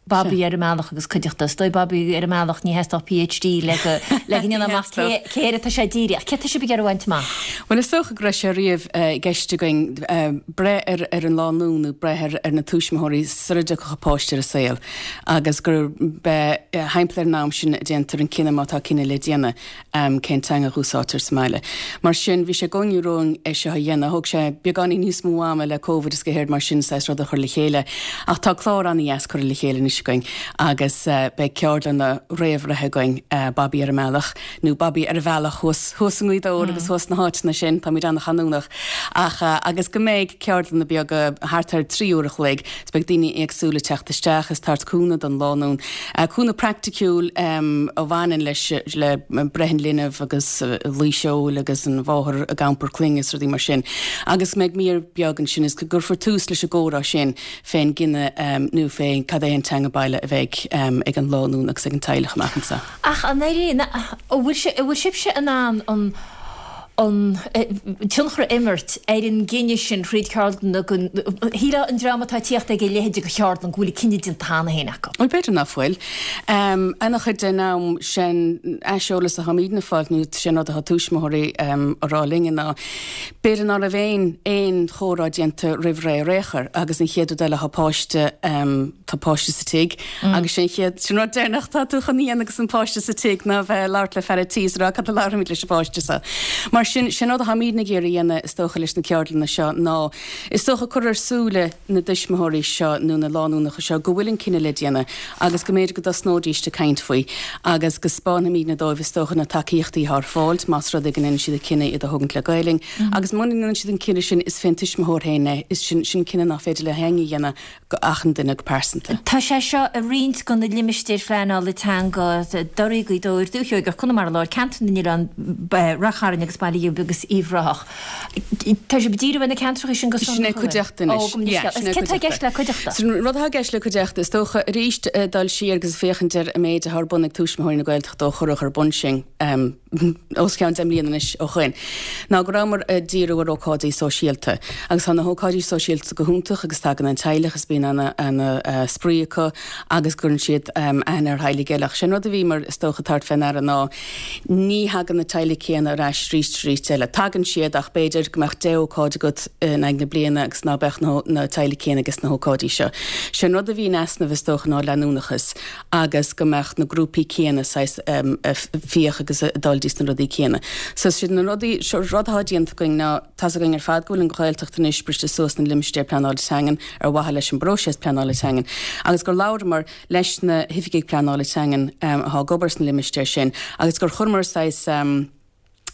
Babaí ar an mBealach agus Cuideachta. Is dóigh Babaí ar an mBealach, ní theastódh PhD le go le go ndéanfá amach cé cé air atá sé dírithe. Ach céard tá sibh ag iarraidh a bhaint amach? Bhuel, is dócha go raibh sé riamh i gceist againn breith ar ar an lánúin nó breith ar ar na tuismitheoirí sara dtiocfadh an páiste ar an saol agus gur be thimpeall ar an am sin a déantar an cinneadh má tá cinneadh le déanamh. cén teanga a dh'úsáidtear sa mbaile. Mar sin, bhí sé i gcónaí romhainn é seo a dhéanamh. Thóg sé beagáinín níos mó ama le Covid is go héard mar sin saghas rud a chur le chéile. Ach tá clár ana-dheas curtha le chéile anois againn agus beidh ceardlanna réamhbhreithe againn, Babaí ar an mBealach, nó Babaí ar a Bhealach thuas, thuas i nGaoth Dobhair agus thuas sna háiteanna sin, táimid ana-chanúnach. Ach, agus go mbeidh ceardlanna beaga thart ar 3 uair a chloig, is beidh daoine éagsúla ag teacht isteach is tabhairt cúnamh don lánúin. Cúnamh praiticiúil a bhaineann leis, le breith an linbh agus luí seoil agus an mháthair ag iompar clainne is rudaí mar sin. Agus go mbeidh mír beag ansin is go gcuirfear tús leis an gcomhrá sin fén gcinneadh nó fé cad é an teanga baile a bheidh ag an lánúin agus ag an teaghlach amach anseo. Ach an éiríonn, an bhfuil sibhse in ann an an tionchar a imirt ar an gcinneadh sin thríd ceardlanna go shílfeá an dream atá ag tíocht ag a leithéid de cheardlann go bhfuil an cinneadh déanta cheana féin acu. Bhuel, b'fhéidir ná fuil. Ana-chuid den am sin aiseolas atháimídne ag fáilt nó sin rud atá tuismitheoirí a rá linne ná b'fhéidir ná raibh aon aon chomhrá déanta roimh ré ar aon chor agus an chéad rud eile tá páiste tá páiste sa tigh Agus sin an chéad, sin rud deireanach atá tú chun a dhéanamh agus an páiste sa tigh ná bheith ag labhairt le fear a' tí is a rá cad a labharfaimid leis an bpáiste seo. Mar sin, sin rud atháimídne ag iarraidh a dhéanamh is dócha leis na ceardlanna seo ná is dócha cur ar súile na dtuismitheoirí seo nó na lánúnacha seo go bhfuil an cinneadh le déanamh agus go mb'fhéidir go dtosnóidíst ag caint faoi agus go 'spáinfimídne dóibh is dócha na tacaíochtaí atá ar fáilt más rud é go ndéanann siad an cinneadh iad a thógaint le Gaelainn agus muna ndéanann siad an cinneadh sin is fén tuismitheoir féin é, is sin sin cinneadh nach féidir le héinne a dhéanamh go achan duine go pearsanta. Tá sé seo i roinnt de na limistéir phleanála teanga, Doirí, Gaoth Dobhair, Dúiche Sheoigeach, Conamara Láir, Ceantar na nOileán, Rath Chairn agus Baile Ghib agus Uíbh Ráthach. Tá sibh ag díriú ar na ceantracha sin go sonrach? Sin é Cuideachta anois. Ó, yeah, sin é Cuideachta. Céard atá i gceist le Cuideachta? So, an rud atá i gceist le Cuideachta, is dócha, arís, dul siar agus féachaint ar an méid atá ar bun ag Tuismitheoirí na Gaeltachta ó cuireadh ar bun sinn, os cionn 10 mbliana anois ó shoin, ná go rabhamar ag díriú ar ócáidí sóisialta. Agus tá na hócáidí sóisialta go hiontach agus tagann an teaghlach is bíonn ana, ana spraoi acu agus cuireann siad aithne ar theaghlaigh eile. Ach sé an rud a bhíomar, is dócha, ag tabhairt fé ndeara ná ní thagann na teaghlaigh céanna ar ais arís is arís eile. Tagann siad ach b'fhéidir go mbeadh 10 ócáid agat in aghaidh na bliana agus ná beadh na, na teaghlaigh céanna ages na hócáidí seo. Sé an rud a bhí in easnamh is dócha ná leanúnachas. agus go mbeadh na grúpaí céanna saghas ag fiach agus ag dul dtís na rudaí céanna. So sin na rudaí, seo rud atá déanta againn ná, tá's againn ar fad go bhfuil an Ghaeltacht anois briste suas na limistéir pleanála teangan ar mhaithe leis an bpróiseas pleanála teangan agus gur labhramar leis na hoifigigh pleanála teangan atá ag obair sna limistéir sin agus gur chuireamar saghas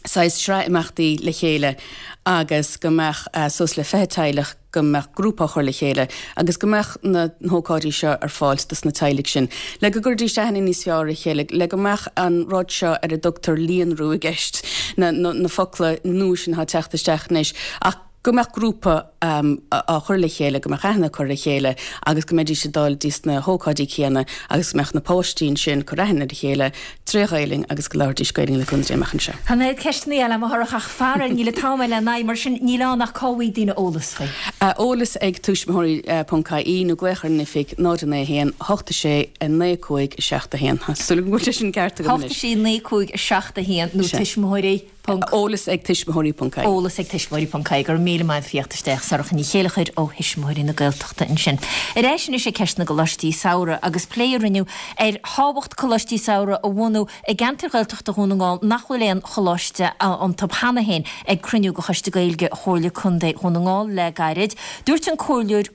saghas sraith imeachtaí le chéile agus go mbeadh suas le 20 teaghlach, go mbeadh grúpa á chur le chéile agus go mbeadh na hócáidí seo ar fáil dos na teaghlaigh sin le go gcuirfidís aithne níos fearr ar a chéile, le go mbeadh an rud seo ar a dtugtar líonrú i gceist, na na focla nua sin atá ag teacht isteach anois ach go mbeadh grúpa á chur le chéile, go mbeadh aithne curtha ar a chéile agus go mbeidís ag dul dtís na hócáidí céanna agus go mbeadh na páistí ansin ag cur aithne ar a chéile tré Ghaelainn agus go labhraídís Gaelainn le cúnamh Dé amach anseo. Tá an oiread ceisteanna eile agam a Shorcha ach faraor níl an t-am lena n-aghaidh mar sin níl ann ach cá bhfaighidh daoine eolas faoi. Eolas ag tuismitheoirí ponc ie nó glaoch ar an oifig 0 9 1 8 6 9 5 7 1. Tá súil agam go bhfuil sé sin ceart agam anois. 8 6 9 5 7 1 nó tuismitheoirí. Eolas ag tuismitheoirí ponc ie. Eolas ag tuismitheoirí ponc ie. Go raibh míle maith agat as a theacht isteach, Sorcha Ní Chéilleachair ó Thuismitheoirí na Gaeltachta ansin. Ar ais anois ag ceist na gColáistí Samhraidh agus plé a rinneadh ar thábhacht Coláistí Samhraidh a bhunú i gceantair Ghaeltachta Dhún na nGall nach bhfuil aon choláiste iontu cheana féin ag cruinniú de Choiste Gaeilge Chomhairle Contae Dhún na nGall le gairid. Dúirt an Comhairleoir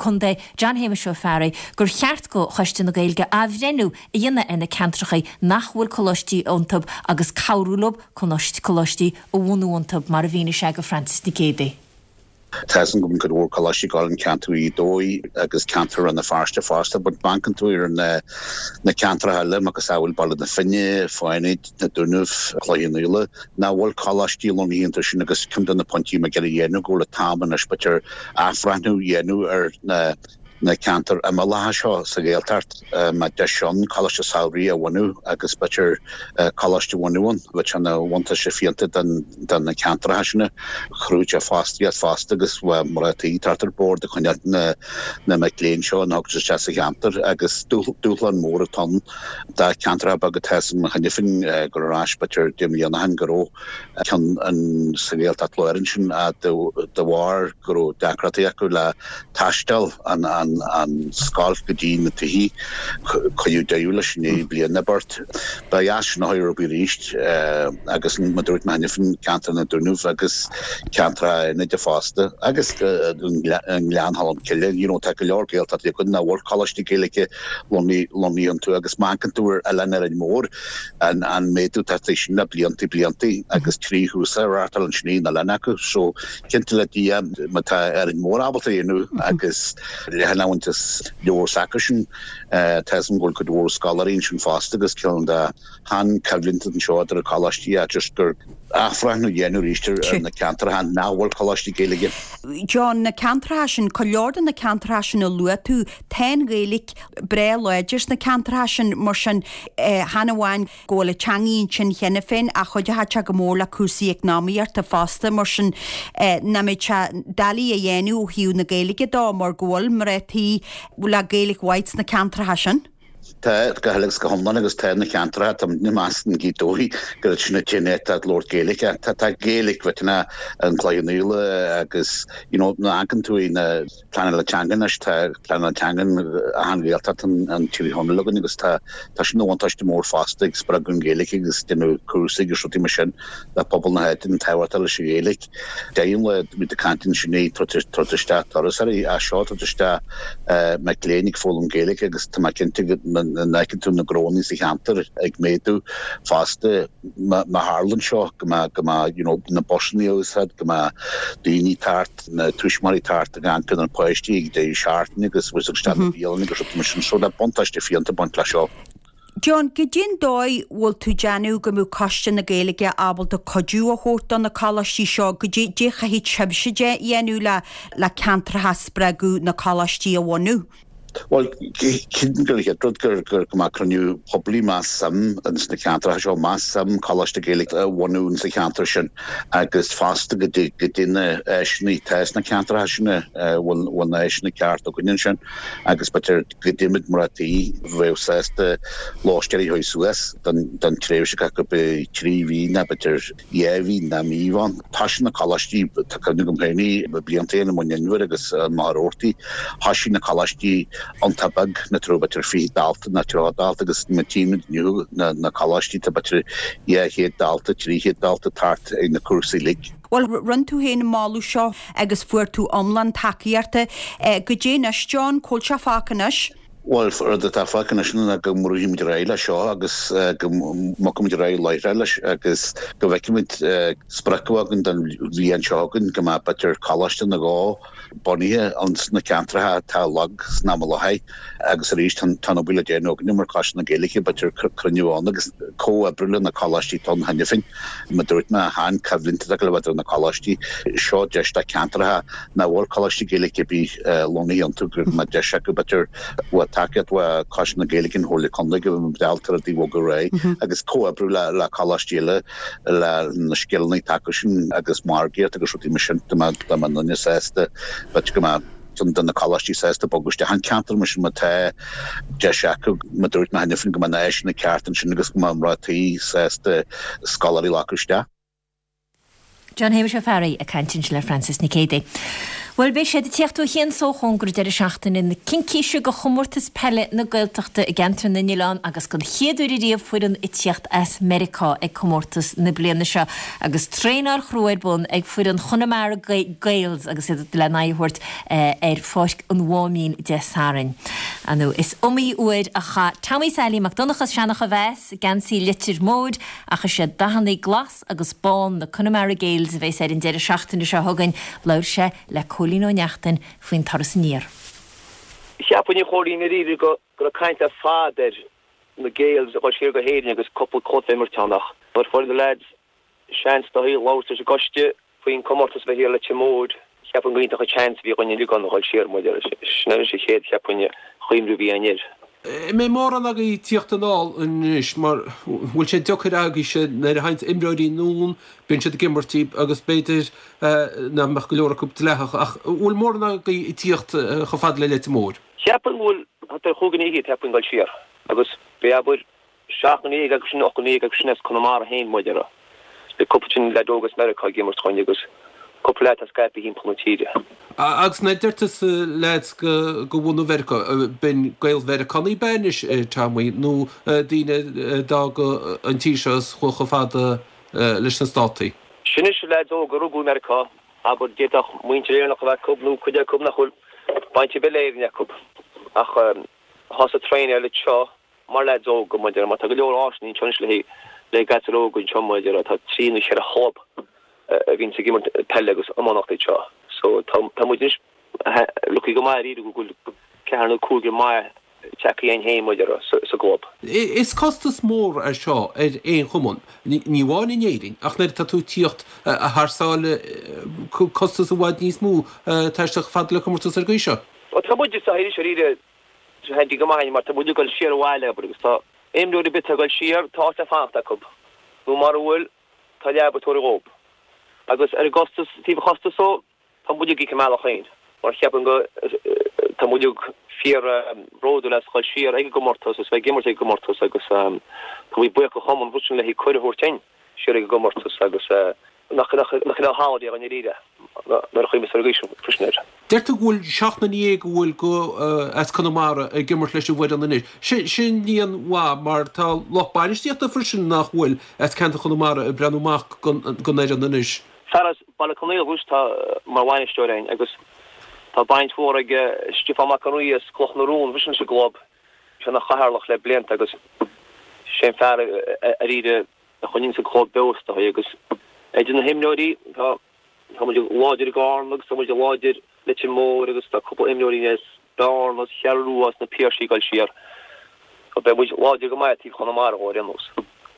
Contae John Shéamuis Ó Fearraigh gur cheart do Choiste na Gaeilge athbhreithniú a dhéanamh ar na ceantracha nach bhfuil coláistí iontu agus cabhrú leo coláistí a bhunú iontu, mar a mhínigh sé do Frances Nic Géadaigh. Tá 'fhios a'm go mbíonn cuid mhór coláistí ag dul in ceantar Ghaoth Dobhair agus ceantar Rann na Feirste fosta, but má amharcann tú ar na na ceantracha eile, macasamhail Baile na Finne, Fánaid, Na Dúnaibh, Cloich Cheann Fhaola, nach bhfuil coláistí lonnaithe iontu sin agus ceann de na pointí mé ag iarraidh a dhéanamh go bhfuil an t-am anois b'fhéidir athbhreithniú a dhéanamh ar na na ceantair imeallacha seo sa Ghaeltacht, má tá deis ann coláiste samhraidh a bhunú agus b'fhéidir coláiste a bhunú ann, bheadh sé ina bhuntáiste fiúntach do na ceantracha sin. Chruthaigh sé fostaíocht fosta agus bheadh mná tí thart ar bord ag coinneáil na mic léinn seo a thugtar isteach sa cheantar agus dúshlán mór atá ann do cheantracha beaga tá 'fhios a'm cheana féin gur ar ais b'fhéidir 10 mbliana ó shin go raibh ceann sa Ghaeltacht Láir ansin de bharr go raibh deacrachtaí acu le taisteal an scoil go dtí na tithe. Cuireadh deireadh leis i ndiaidh bliain nó beirt. Ba dheas sin a chur ar obair arís agus mar a dúirt mé cheana féin ceantar na Dúnaibh agus ceantracha Fhánaide fosta agus Gleann Cholm Cille. You know tá go leor Gaeltachtaí againn nach bhfuil coláistí Gaeilge lonnaithe iontu agus má amharcann tú ar Oileán Árainn Mhór, an méadú atá tagtha sin le blianta blianta agus 3 chúrsa á reáchtáil ansin ar an oileán acu so cinnte le Dia má tá Árainn Mhór ábalta a dhéanamh agus Leathan Abhainn is leabhar s'acusan tá 'fhios a'm go bhfuil cuid mhór scoláirí ansin fosta agus ceann de shean-choimhlint anseo idir na coláistí ach just gur athbhreithniú a dhéanamh arís ar na ceantracha nach bhfuil coláistí Gaeilge. John, na ceantracha sin, go leor de na ceantracha sin a luaigh tú, tá an Ghaeilge breá láidir sna ceantracha sin, mar sin, chan amháin go bhfuil an teangaidh ansin cheana féin ach chuideochadh sé go mór le cúrsaí eacnamaíochta fosta, mar sin, nach mbeadh sé doiligh a dhéanamh ó thaobh na Gaeilge dó mar go bhfuil mná tí le Gaeilge mhaith sna ceantracha sin. Tá, go huile agus go hiomlán agus tá na ceantracha, tá muidne ag meas in Gaoth Dobhair gur sin an t-aon áit atá ag labhairt Gaeilge. Tá, tá Gaeilge mhaith in An Cloich Cheann Fhaola agus, you know, má amharcann tú ar na pleananna teanga anois, tá pleananna teanga in achan Ghaeltacht in Tír Chonaill againn agus tá tá sin ina bhuntáiste mór fosta ag spreagadh an Ghaeilge agus déanamh cúrsaí agus rudaí mar sin le pobal na háite an tábhacht atá leis an Ghaeilge. Deireadh an lae muid ag caint ansin ag tabhairt isteach turasóirí as seo, tabhairt isteach mic léinn ag foghlaim Gaeilge agus tá mé cinnte go bhfeiceann tú na gnónna sa cheantar ag méadú fosta má tharlaíonn seo go mbeadh go mbeadh you know na busanna a úsáid, go mbeadh daoine thart, na tuismitheoirí thart ag amharc ar na páistí ag deireadh seachtaine agus bhfuil isteach na bialanna agus rudaí mar sin so tá buntáiste fiúntach ag baint leis seo. John, goidé an dóigh bhfuil tú déanamh go mbeadh Coiste na Gaeilge ábalta cuidiú a thabhairt do na coláistí seo? Goidé a chaithfidh sibhse a dhéanamh le le ceantracha a spreagadh na coláistí a bhunú? Bhuel, cinnte gur an chéad rud gur go mbeadh cruinniú poiblí más suim ins na ceantracha seo, más suim Coláiste Gaeilge a bhunú ins an cheantar sin agus fosta go dtí na áiseanna atá sna ceantracha sin, bhfuil na áiseanna ceart againn ansin agus b'fhéidir go dtéimid mná tí bheadh sásta lóistéirí a chur suas don tréimhse go b'fhéidir 3 mhí nó b'fhéidir 2 mhí nó mí amháin. Thoisigh na coláistí, tá cuimhne agam féin blianta ó shin i Muing Inbhir agus i Machaire Rabhartaigh, thoisigh na coláistí iontach beag, nach raibh b'fhéidir 20 dalta nó 30 dalta agus má tchímid inniu na coláistí tá b'fhéidir 200 dalta, 300 dalta thart ag na cúrsaí uilig. Bhuel, rinne tú féin an moladh seo agus fuair tú iomlán tacaíochta. Goidé anois, John, cá bhfuil sé fágtha anois? Bhuel, rud atá fágtha anois ná go mbrúfaimid ar aghaidh leis seo agus go mbogfaimid ar aghaidh láithreach leis agus go bhfeicfimid sprioc a bheith againn don bhliain seo chugainn go mbeadh b'fhéidir coláiste nó dhó bunaithe ins na ceantracha atá lag san am i láthair agus arís tá an obair le déanamh againne mar Choiste na Gaeilge b'fhéidir cruinniú ann agus comhoibriú le na coláistí atá ann cheana féin. Mar a dúirt mé, chan coimhlint atá le bheith idir na coláistí. Seo deis do cheantracha nach bhfuil coláistí Gaeilge ar bith lonnaithe iontu go mbeadh deis acu b'fhéidir le tacaíocht ó Choiste na Gaeilge an Chomhairle Contae go mbeadh ábalta rudaí a bhogadh ar aghaidh agus comhoibriú le coláistí eile le na scileanna atá acu sin agus margaíocht agus rudaí mar sin dá mbeadh dá mbeadh duine sásta b'fhéidir go mbeadh ceann de na coláistí sásta bogadh isteach an ceantar mar sin má tá deis acu mar a dúirt mé cheana féin go mbeadh na áiseanna ceart ansin agus go mbeadh mná tí sásta scoláirí a ghlacadh isteach. John Shéamuis Ó Fearraigh ag caint ansin le Frances Nic Géadaigh. Bhuel, beidh siad ag tíocht ó chian 's ó chóngar an deireadh seachtaine na Cincíse do Chomórtas Peile na Gaeltachta i gCeantar na nOileán agus don chéad uair ariamh foireann ag tíocht as Meiriceá ag comórtas na bliana seo agus traenáil chrua ar bun ag foireann Chonamara Gaels agus iad le n-aghaidh a thabhairt ar Pháirc an Mháimín Dé Sathairn. Ar ndóigh, is iomaí uair a chaith Tommy Sailí Mac Donncha as Seanach a Mheas geansaí Leitir Móir ach is iad dathanna glas agus bán na Connemara Gaels a bheas air an deireadh seachtaine seo chugainn. Labhair sé le Cóilín Ó Neachtain faoin turas aniar. Cheapfainn a Chóilín i ndáiríre go raibh caint le fada ar na Gaels a dhul siar go hÉirinn agus cúpla cluiche a imirt ann ach nuair a fuair na leaids seans do labhairt leis an gcoiste faoin comórtas a bheith thiar i Leitir Móir, cheapfainn go iontach an seans a bhí againn uilig ann a dhul siar mar sin anois an chéad cheapfainn chuimhniú a bhí againn air. An mbeidh mórán agaibh ag tíocht anall anois mar bhfuil sé deacair agaibhse nuair a thagann imreoirí anonn, bíonn siad ag imirt agus b'fhéidir nach mbeadh go leor acu dleathach ach bhfuil mórán agaibh ag tíocht chomh fada le Leitir Móir? Cheapfainn go bhfuil thart ar chúig dhuine fhichead cheapfainn ag dul siar agus beidh abair Seacht nduine acu sin, 8 nduine acu sin as Conamara féin, mar a déarfá. Beidh cúpla sin leaid óg as Meiriceá ag imirt chugainn agus cúpla leaid atá scaipthe thimpeall na tíre. Agus nuair a deir tusa leaids de bhunadh Mheiriceá, b'in Gael-Mheiriceánaigh ab ea anois, Tommy, nó daoine a d'fhág an tír seo is chuaigh chomh fada leis na Státaí? Sin anois leaids óga a rugadh i Meiriceá, abair, d'fhéadfadh muintir Éireannach a bheith acu nó cuid acu nach bhfuil baint ar bith le Éirinn acu ach atá sa traenáil anseo. Mar leaids óga, mar a déarfá, mar tá go leor áiseanna anseo anois le haghaidh gasúir óga anseo, mar a déarfá, tá trí nó cheithre chlub a bhíonns ag imirt peile agus iománaíocht anseo. So tá tá muid anois lucky go maith dáiríre go bhfuil ceathrar nó cúigear maith tagtha againn féin, mar a déarfá, sa sa gclub. Is costas mór é seo ar aon chumann, ní amháin in Éirinn ach nuair atá tú ag tíocht thar sáile, costas i bhfad níos mó taisteal chomh fada le comórtas ar an gcaoi seo. Bhuel tá muid sa arís dáiríre handy go maith mar tá muid ag dul siar abhaile abair agus tá imreoir ar bith atá ag dul siar tá áit le fanacht acu nó mara bhfuil tá leaba tabhartha dhób. Agus ar an gcostas, taobh an chostais dhó, tá muid ag íoc ár mbealach féin mar cheapaim go tá muid uilig fíor bhródúil as dhul siar ag an gcomórtas agus bheith ag imirt ag an gcomórtas agus tá muid buíoch do chumann freisin le haghaidh cuireadh a thabhairt dúinn siar ag an gcomórtas agus nach nach nach raibh thalamh i ndáiríre nuair a chuimhníos ar an gcaoi sin freisin air. Deir tú go bhfuil 17 nduine a bhfuil go as Conamara ag imirt leis an bhfoireann anois. Sin líon mhaith mar tá lucht bainistíochta freisin nach bhfuil as ceantar Chonamara ag breathnú amach don fhoireann anois. Fear as Baile Conaola anois atá mar bhainisteoir againn agus tá baint mhór ag Stiofán Mac an Rí as Cloch na Rón freisin leis an gclub. Sé ina chathaoirleach le blianta agus sé an fear dáiríre a choinníonns an club beo is dóigh agus idir na himreoirí tá tá muid láidir i gCarna agus tá muid láidir Leitir Móir agus tá cúpla imreoirí as Bearna as Cheathrú Rua as na Piarsaigh ag dul siar. So beidh muid láidir go maith taobh Chonamara dhó ar aon nós.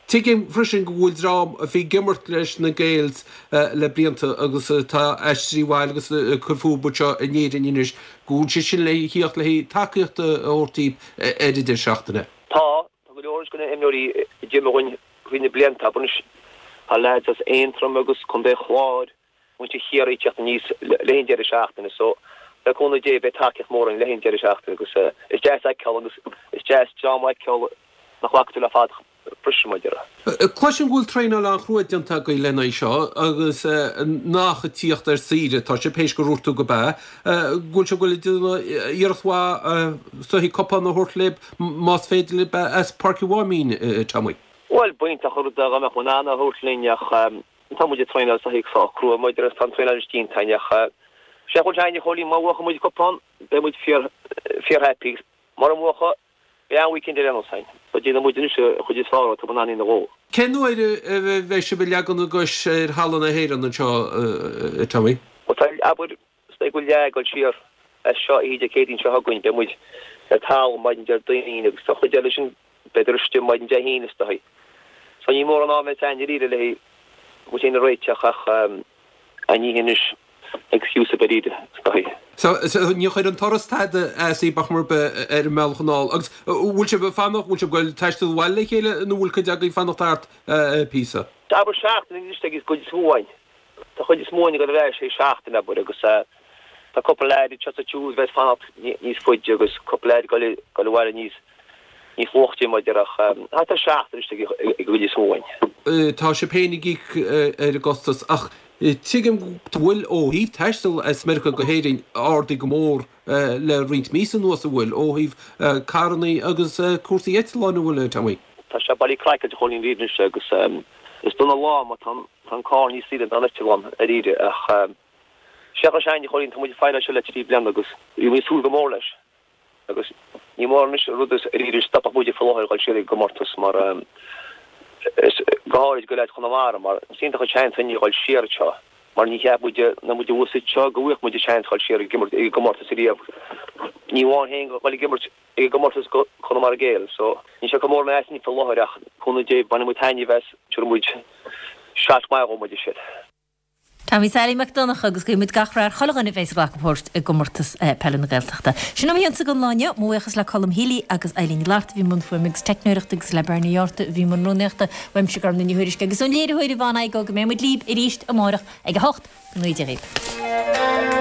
Tuigim freisin go bhfuil dream a bhí ag imirt leis na Gaels le blianta agus atá aistrithe abhaile agus ag cur fúthu anseo in Éirinn anois, go bhfuil siad sin le thíocht le haghaidh tacaíocht a thabhairt daoibh ar an deireadh seachtaine. Tá, Tá go leor de na himreoirí a d'imir dhúinn thrí na blianta, abair anois. Tá leaids as Aontroim agus Contae an Chláir, muintir Chiarraí ag teacht aníos le haghaidh an deireadh seachtaine so le cúnamh Dé beidh tacaíocht mhór againn le haghaidh an deireadh seachtaine agus is deas a fheiceáil agus is deas dream a fheiceáil nach bhfaca tú le fada freisin mar a déarfá. Cloisim go bhfuil traenáil an-chrua déanta agaibh lena aghaidh seo agus nach ag tíocht ar saoire atá sibh, théis gur dhúirt tú gurb ea, go bhfuil sibh ag goil ag déanamh iarracht mhaith is dóichí cupán a thabhairt libh más féidir libh as Páirc an Mháimín, Tommy. Bhuel, b'iontach an rud é dá mbeadh muid in ann é a thabhairt linn ach tá muid ag traenáil sách crua mar a déarfá tá an traenáil anois déanta againn ach sé chun seachain a Chóilín, má bhuachann muid an cupán beidh muid fíor fíor happy mura mbuacha Beidh an-weekend ar aon nós againn. So déanfaidh muid anois an chuid is fearr atá muid in ann a dhéanamh dhó. Cén uair a bheidh sibh ag leagan a gcois ar thalamh na hÉireann anseo, a Tommy? Bhuel tá, abair, is dóigh go bhfuil leath ag dul siar as seo oíche Dé Céadaoin seo chugainn. Beidh muid ar talamh maidin Déardaoin agus tá an chuid eile sin b'fhéidir istigh maidin Dé hAoine is dóigh. So ní mórán am a bheas againn dáiríre le muid féin a réiteach ach ní hin anois excuse ar bith is dóigh. So, ní chuir an turas tada as daoibh ar chor ar bith ar an mbealach anall. Agus bhfuil sibh ag fanacht, bhfuil sibh ag goil taisteal abhaile le chéile nó bhfuil cuid agaibh ag fanacht thart píosa? Abair seachtain anois ag an gcuid is mó againn. Tá chuid is mó againn ag dul ar ais théis seachtain, abair, agus tá cúpla leaid anseo is ansiúd a bheas ag fanacht níos faide agus cúpla leaid ag dul abhaile níos níos luaithe mar a déarfá ach thart ar seachtain anois ag an gcuid is mó againn. Tá sibh féin ag íoc ar an gcostas ach. Tuigim go bhfuil ó thaobh taisteal as Meiriceá go hÉirinn ardaithe go mór le roinnt míosa anuas an bhfuil, ó thaobh carrannaí agus cúrsaí eitleáin an bhfuil, a Tommy? Tá sé bailí craiceáilte a Chóilín dáiríre anois agus is dona lá mar tá an carr níos saoire ná an eitleán dáiríre ach seachas sin a Chóilín tá muid ag faire seo le 3 bliana agus bhí muid ag súil go mór leis agus ní mór anois rud is dáiríre stopfadh muid faoi láthair dhul siar ag an gcomórtas mar is go háirid go leaid Chonamara mar is iontach an seans againne dhul siar anseo mar ní cheap muid nuair muid thuas anseo go bhfaigheadh muid an seans dhul siar ag imirt ag an gcomórtas ariamh ní amháin féin dhul ag imirt ag an gcomórtas go Conamara Gaels so níl sé chomh mór measúint faoi láthair ach cúnamh Dé bainfidh muid taitneamh as tabharfaidh muid seat maith dhó muid siad. Tommy Sailí Mac Donncha agus guímid gach rath ar chuile dhuine a bheas ag glacadh páirt i gcomórtas peile na Gaeltachta. Sin uaim féinse don lá inniu. Mo bhuíochas le Colm Healy agus Eileen Ní Fhlatharta a bhí i mbun fuaime agus teicneoireachta agus le Bernie Ó Átharta a bhí i mbun rúnaíochta. Uaimse Gormfhlaith Ní Thuairisg agus ón léiritheoir Yvonne Igoe go mbeidh muid libh arís amárach ag a 8. Go ngnóthaí Dia dhaoibh.